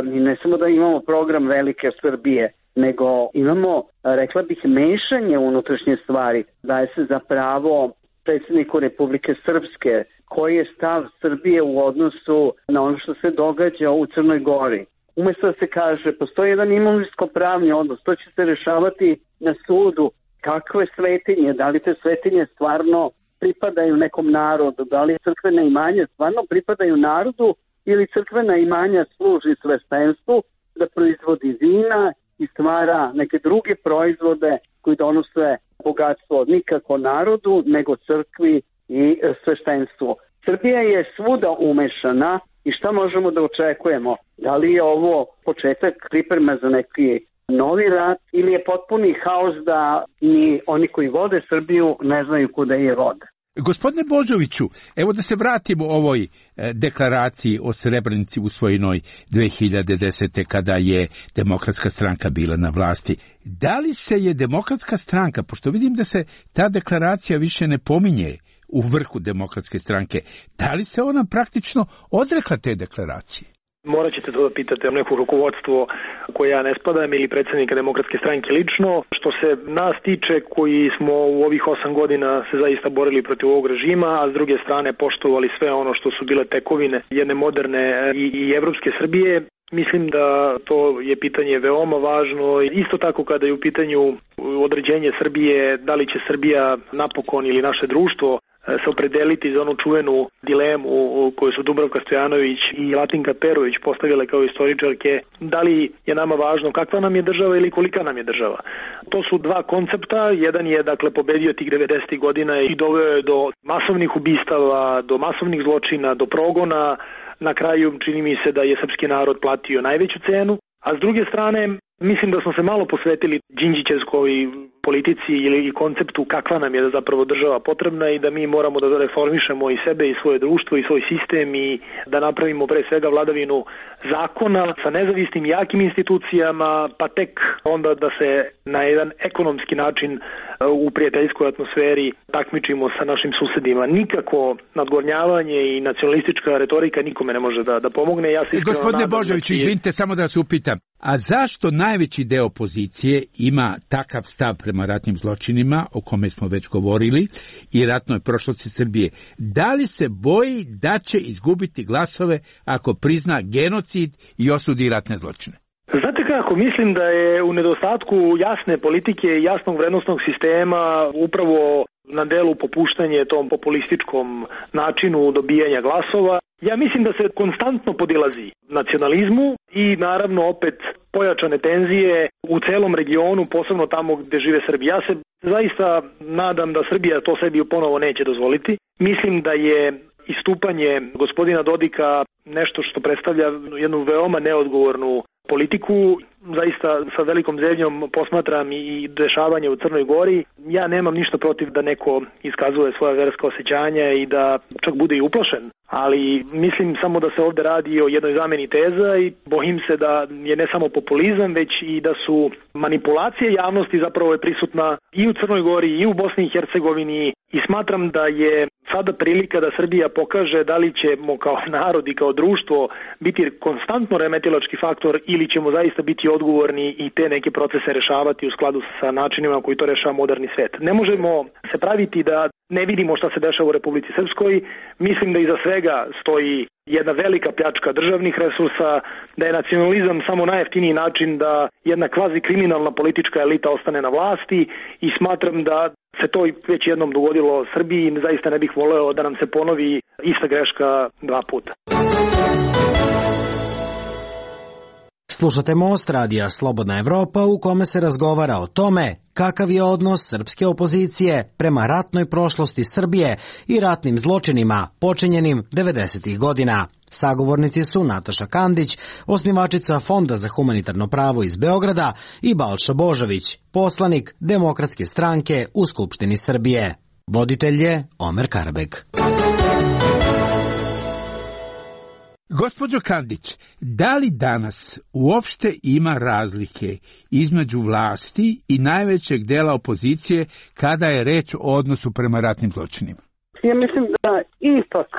[SPEAKER 14] ne samo da imamo program Velike Srbije, nego imamo, rekla bih, mešanje unutrašnje stvari. Daje se za pravo predsjedniku Republike Srpske, koji je stav Srbije u odnosu na ono što se događa u Crnoj Gori. Umesto da se kaže, postoji jedan imovinsko-pravni odnos, to će se rešavati na sudu. Kakve svetinje, da li te svetinje stvarno pripadaju nekom narodu, da li crkvena imanja stvarno pripadaju narodu ili crkvena imanja služi sveštenstvu da proizvodi vina i stvara neke druge proizvode koji donose bogatstvo nikako narodu, nego crkvi i sveštenstvu. Srbija je svuda umešana i šta možemo da očekujemo? Da li je ovo početak priprema za neki novi rat ili je potpuni haos da ni oni koji vode Srbiju ne znaju kuda je vode?
[SPEAKER 11] Gospodine Božoviću, evo da se vratimo ovoj deklaraciji o Srebrenici usvojenoj 2010. kada je Demokratska stranka bila na vlasti. Da li se je Demokratska stranka, pošto vidim da se ta deklaracija više ne pominje u vrhu Demokratske stranke, da li se ona praktično odrekla te deklaracije?
[SPEAKER 24] Morat ćete to da pitate neko rukovodstvo koje ja ne spadam ili predsjednika Demokratske stranke lično. Što se nas tiče koji smo u ovih 8 godina se zaista borili protiv ovog režima, a s druge strane poštovali sve ono što su bile tekovine jedne moderne i evropske Srbije, Mislim da to je pitanje veoma važno. Isto tako kada je u pitanju određenje Srbije, da li će Srbija napokon ili naše društvo se opredeliti za onu čuvenu dilemu koju su Dubravka Stojanović i Latinka Perović postavile kao istoričarke, da li je nama važno kakva nam je država ili kolika nam je država. To su dva koncepta, jedan je dakle pobedio tih 90. godina i doveo je do masovnih ubistava, do masovnih zločina, do progona. Na kraju čini mi se da je srpski narod platio najveću cenu, a s druge strane mislim da smo se malo posvetili Đinđićevskoj politici ili konceptu kakva nam je zapravo država potrebna i da mi moramo da reformišemo i sebe i svoje društvo i svoj sistem i da napravimo pre svega vladavinu zakona sa nezavisnim jakim institucijama, pa tek onda da se na jedan ekonomski način u prijateljskoj atmosferi takmičimo sa našim susedima. Nikako nadgornjavanje i nacionalistička retorika nikome ne može da pomogne. Ja se
[SPEAKER 11] Gospodine Božoviću, izvinite, samo da se upitam. A zašto najveći deo opozicije ima takav stav prema ratnim zločinima, o kome smo već govorili, i ratnoj prošlosti Srbije? Da li se boji da će izgubiti glasove ako prizna genocid i osudi ratne zločine?
[SPEAKER 24] Znate kako, mislim da je u nedostatku jasne politike i jasnog vrednostnog sistema upravo na delu popuštanje tom populističkom načinu dobijanja glasova. Ja mislim da se konstantno podilazi nacionalizmu i naravno opet pojačane tenzije u celom regionu, posebno tamo gde žive Srbi. Ja se zaista nadam da Srbija to sebi ponovo neće dozvoliti. Mislim da je istupanje gospodina Dodika nešto što predstavlja jednu veoma neodgovornu politiku. Zaista sa velikom zebnjom posmatram i dešavanje u Crnoj Gori. Ja nemam ništa protiv da neko iskazuje svoja verska osjećanja i da čak bude i uplašen, ali mislim samo da se ovde radi o jednoj zameni teza i bojim se da je ne samo populizam, već i da su manipulacije javnosti zapravo je prisutna i u Crnoj Gori i u Bosni i Hercegovini i smatram da je sada prilika da Srbija pokaže da li ćemo kao narod i kao društvo biti konstantno remetilački faktor ili ćemo zaista biti odgovorni i te neke procese rešavati u skladu sa načinima koji to rešava moderni svet. Ne možemo se praviti da ne vidimo šta se dešava u Republici Srpskoj. Mislim da iza svega stoji jedna velika pljačka državnih resursa, da je nacionalizam samo najjeftiniji način da jedna kvazi kriminalna politička elita ostane na vlasti i smatram da se to već jednom dogodilo Srbiji i zaista ne bih voleo da nam se ponovi ista greška dva puta.
[SPEAKER 12] Slušate Most radija Slobodna Evropa u kome se razgovara o tome kakav je odnos srpske opozicije prema ratnoj prošlosti Srbije i ratnim zločinima počinjenim 90. godina. Sagovornici su Nataša Kandić, osnivačica Fonda za humanitarno pravo iz Beograda i Balša Božović, poslanik Demokratske stranke u Skupštini Srbije. Voditelj je Omer Karabeg.
[SPEAKER 11] Gospođo Kandić, da li danas uopšte ima razlike između vlasti i najvećeg dela opozicije kada je reč o odnosu prema ratnim zločinima?
[SPEAKER 14] Ja mislim da ipak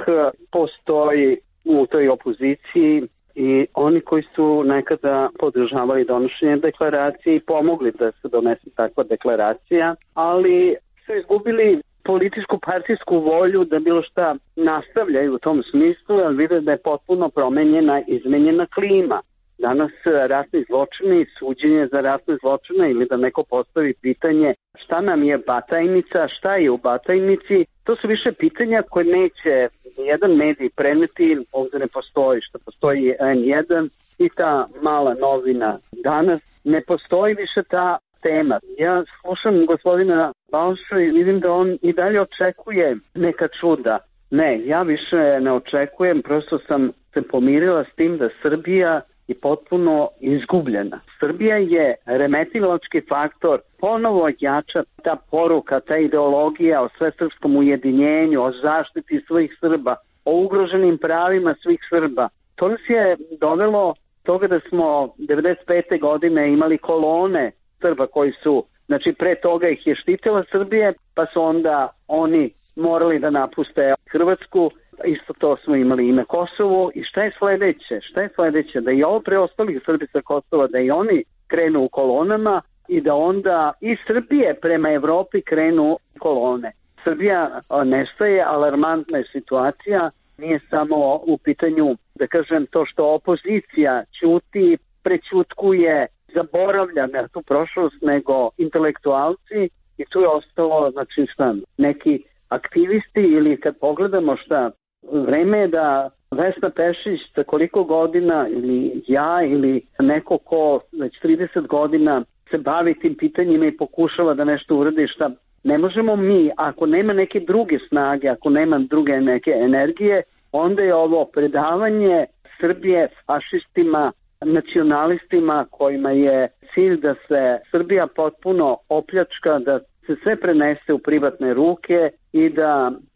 [SPEAKER 14] postoji u toj opoziciji i oni koji su nekada podržavali donošenje deklaracije i pomogli da se donese takva deklaracija, ali su izgubili političku partijsku volju da bilo šta nastavljaju u tom smislu, ali vide da je potpuno promenjena, izmenjena klima. Danas ratni zločini, suđenje za ratne zločine ili da neko postavi pitanje šta nam je Batajnica, šta je u Batajnici, to su više pitanja koje neće jedan medij preneti, ovdje ne postoji, što postoji N1 i ta mala novina danas, ne postoji više ta tema. Ja slušam gospodina Balšu i vidim da on i dalje očekuje neka čuda. Ne, ja više ne očekujem, prosto sam se pomirila s tim da Srbija je potpuno izgubljena. Srbija je remetilački faktor, ponovo jača ta poruka, ta ideologija o svesrpskom ujedinjenju, o zaštiti svih Srba, o ugroženim pravima svih Srba. To nas je dovelo toga da smo 95. godine imali kolone Srba koji su, znači pre toga ih je štitila Srbije, pa su onda oni morali da napuste Hrvatsku, isto to smo imali i na Kosovu. I šta je sledeće? Šta je sledeće? Da i ovo preostalih Srbi sa Kosova, da i oni krenu u kolonama i da onda i Srbije prema Evropi krenu kolone. Srbija nestaje, alarmantna je situacija. nije samo u pitanju, da kažem, to što opozicija ćuti, prećutkuje, zaboravlja na tu prošlost, nego intelektualci i tu je ostalo, znači šta, neki aktivisti ili kad pogledamo šta, vreme je da Vesna Pešić za koliko godina ili ja ili neko ko već 30 godina se bavi tim pitanjima i pokušava da nešto uradi šta. Ne možemo mi, ako nema neke druge snage, ako nema druge neke energije, onda je ovo predavanje Srbije fašistima, nacionalistima kojima je cilj da se Srbija potpuno opljačka, da se sve prenese u privatne ruke i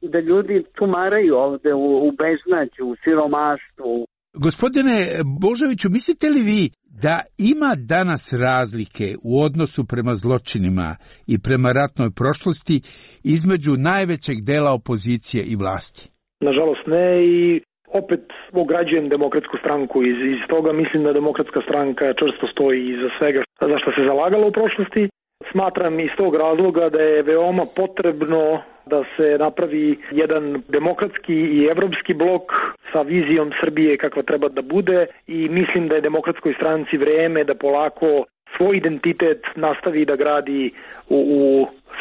[SPEAKER 14] da ljudi tumaraju ovde u beznađu, u siromaštvu.
[SPEAKER 11] Gospodine Božoviću, mislite li vi da ima danas razlike u odnosu prema zločinima i prema ratnoj prošlosti između najvećeg dela opozicije i vlasti?
[SPEAKER 24] Nažalost ne, i opet ograđujem Demokratsku stranku iz toga. Mislim da Demokratska stranka čvrsto stoji iza svega za što se zalagala u prošlosti. Smatram iz tog razloga da je veoma potrebno da se napravi jedan demokratski i evropski blok sa vizijom Srbije kakva treba da bude, i mislim da je Demokratskoj stranci vreme da polako svoj identitet nastavi da gradi u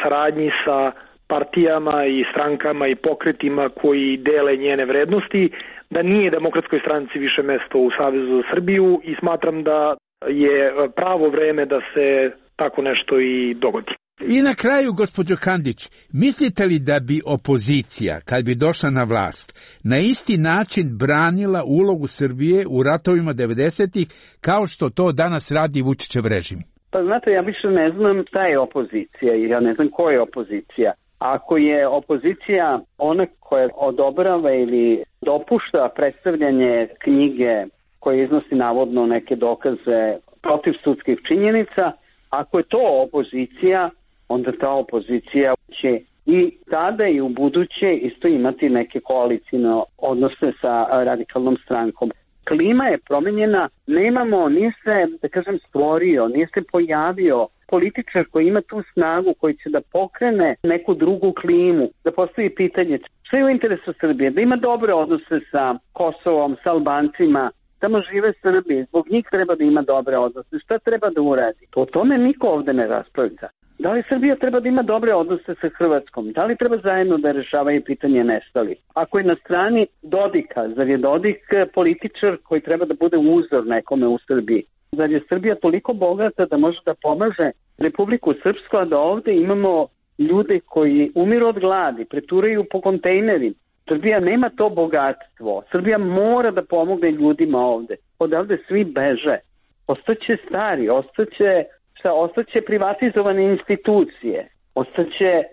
[SPEAKER 24] saradnji sa partijama i strankama i pokretima koji dele njene vrednosti, da nije Demokratskoj stranci više mesto u Savezu za Srbiju, i smatram da je pravo vreme da se tako nešto i dogodi.
[SPEAKER 11] I na kraju, gospođo Kandić, mislite li da bi opozicija, kad bi došla na vlast, na isti način branila ulogu Srbije u ratovima 90-ih kao što to danas radi Vučićev režim?
[SPEAKER 14] Pa znate, ja više ne znam šta je opozicija i ja ne znam ko je opozicija. Ako je opozicija ona koja odobrava ili dopušta predstavljanje knjige koje iznosi navodno neke dokaze protiv sudskih činjenica, ako je to opozicija, onda ta opozicija će i tada i u buduće isto imati neke koalicijne odnose sa radikalnom strankom. Klima je promenjena, nije se, da kažem, stvorio, nije se pojavio političar koji ima tu snagu, koji će da pokrene neku drugu klimu, da postavi pitanje što je u interesu Srbije, da ima dobre odnose sa Kosovom, sa Albancima, tamo žive Srbi, zbog njih treba da ima dobre odnose, šta treba da uradi. O tome niko ovde ne raspravlja. Da li Srbija treba da ima dobre odnose sa Hrvatskom? Da li treba zajedno da rešavaju pitanje nestalih? Ako je na strani Dodika, zar je Dodik političar koji treba da bude uzor nekome u Srbiji? Zar je Srbija toliko bogata da može da pomaže Republiku Srpsku, a da ovde imamo ljude koji umiru od gladi, preturaju po kontejnerima? Srbija nema to bogatstvo. Srbija mora da pomogne ljudima ovde. Odavde svi beže. Ostaće stari, ostaće privatizovane institucije, ostaće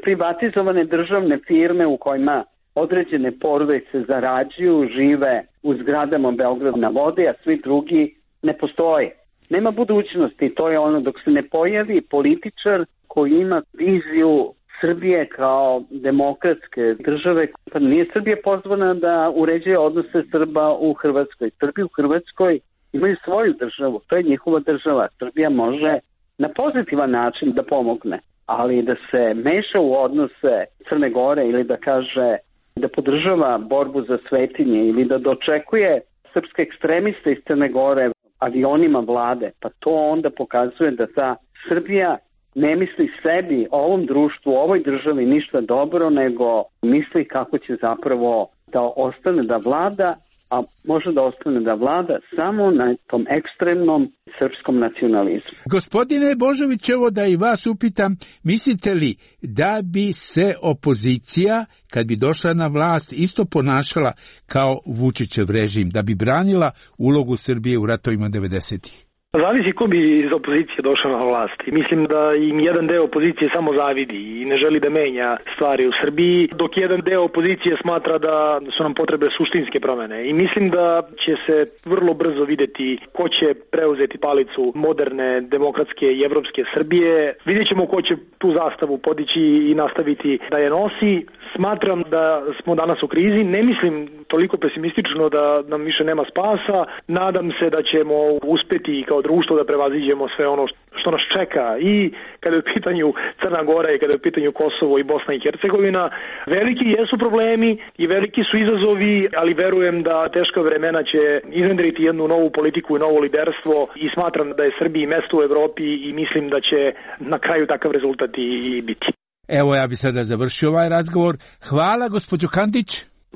[SPEAKER 14] privatizovane državne firme u kojima određene porodice zarađuju, žive u zgradama Beograd na vodi, a svi drugi ne postoje. Nema budućnosti, to je ono dok se ne pojavi političar koji ima viziju Srbije kao demokratske države. Pa nije Srbija pozvana da uređuje odnose Srba u Hrvatskoj. Srbi u Hrvatskoj imaju svoju državu, to je njihova država. Srbija može na pozitivan način da pomogne, ali da se meša u odnose Crne Gore ili da kaže da podržava borbu za svetinje ili da dočekuje srpske ekstremiste iz Crne Gore avionima vlade, pa to onda pokazuje da ta Srbija ne misli sebi, ovom društvu, ovoj državi ništa dobro, nego misli kako će zapravo da ostane da vlada, a može da ostane da vlada samo na tom ekstremnom srpskom nacionalizmu.
[SPEAKER 11] Gospodine Božović, evo da i vas upitam, mislite li da bi se opozicija, kad bi došla na vlast, isto ponašala kao Vučićev režim, da bi branila ulogu Srbije u ratovima 90-ih?
[SPEAKER 24] Zavisi ko bi iz opozicije došao na vlast. Mislim da im jedan deo opozicije samo zavidi i ne želi da menja stvari u Srbiji, dok jedan deo opozicije smatra da su nam potrebe suštinske promene. I mislim da će se vrlo brzo videti ko će preuzeti palicu moderne, demokratske i evropske Srbije. Vidjet ćemo ko će tu zastavu podići i nastaviti da je nosi. Smatram da smo danas u krizi. Ne mislim toliko pesimistično da nam više nema spasa. Nadam se da ćemo uspeti kao društvo da prevaziđemo sve ono što nas čeka i kada je u pitanju Crna Gora i kada je u pitanju Kosovo i Bosna i Hercegovina. Veliki jesu problemi i veliki su izazovi, ali verujem da teška vremena će iznedriti jednu novu politiku i novo liderstvo i smatram da je Srbiji mesto u Evropi i mislim da će na kraju takav rezultat i biti.
[SPEAKER 11] Evo, ja bi sada završio ovaj razgovor. Hvala, gospođo Kandić.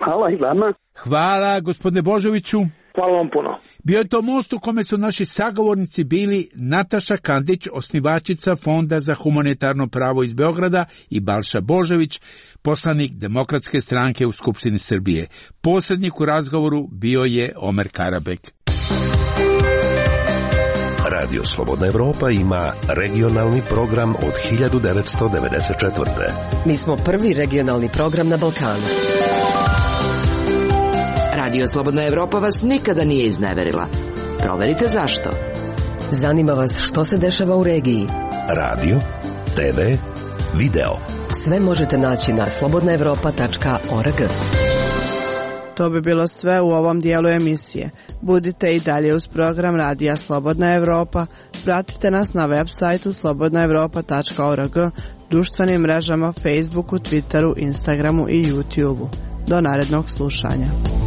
[SPEAKER 14] Hvala i vama.
[SPEAKER 11] Hvala, gospodine Božoviću.
[SPEAKER 24] Hvala vam puno.
[SPEAKER 11] Bio je to most u kome su naši sagovornici bili Nataša Kandić, osnivačica Fonda za humanitarno pravo iz Beograda, i Balša Božović, poslanik Demokratske stranke u Skupštini Srbije. Posrednik u razgovoru bio je Omer Karabek.
[SPEAKER 8] Radio Slobodna Evropa ima regionalni program od 1994.
[SPEAKER 3] Mi smo prvi regionalni program na Balkanu.
[SPEAKER 4] Radio Slobodna Evropa vas nikada nije izneverila. Proverite zašto.
[SPEAKER 3] Zanima vas što se dešava u regiji.
[SPEAKER 8] Radio, TV, video.
[SPEAKER 3] Sve možete naći na slobodnaevropa.org.
[SPEAKER 1] To bi bilo sve u ovom dijelu emisije. Budite i dalje uz program Radija Slobodna Evropa. Pratite nas na web sajtu slobodnaevropa.org, društvenim mrežama Facebooku, Twitteru, Instagramu i YouTubeu. Do narednog slušanja.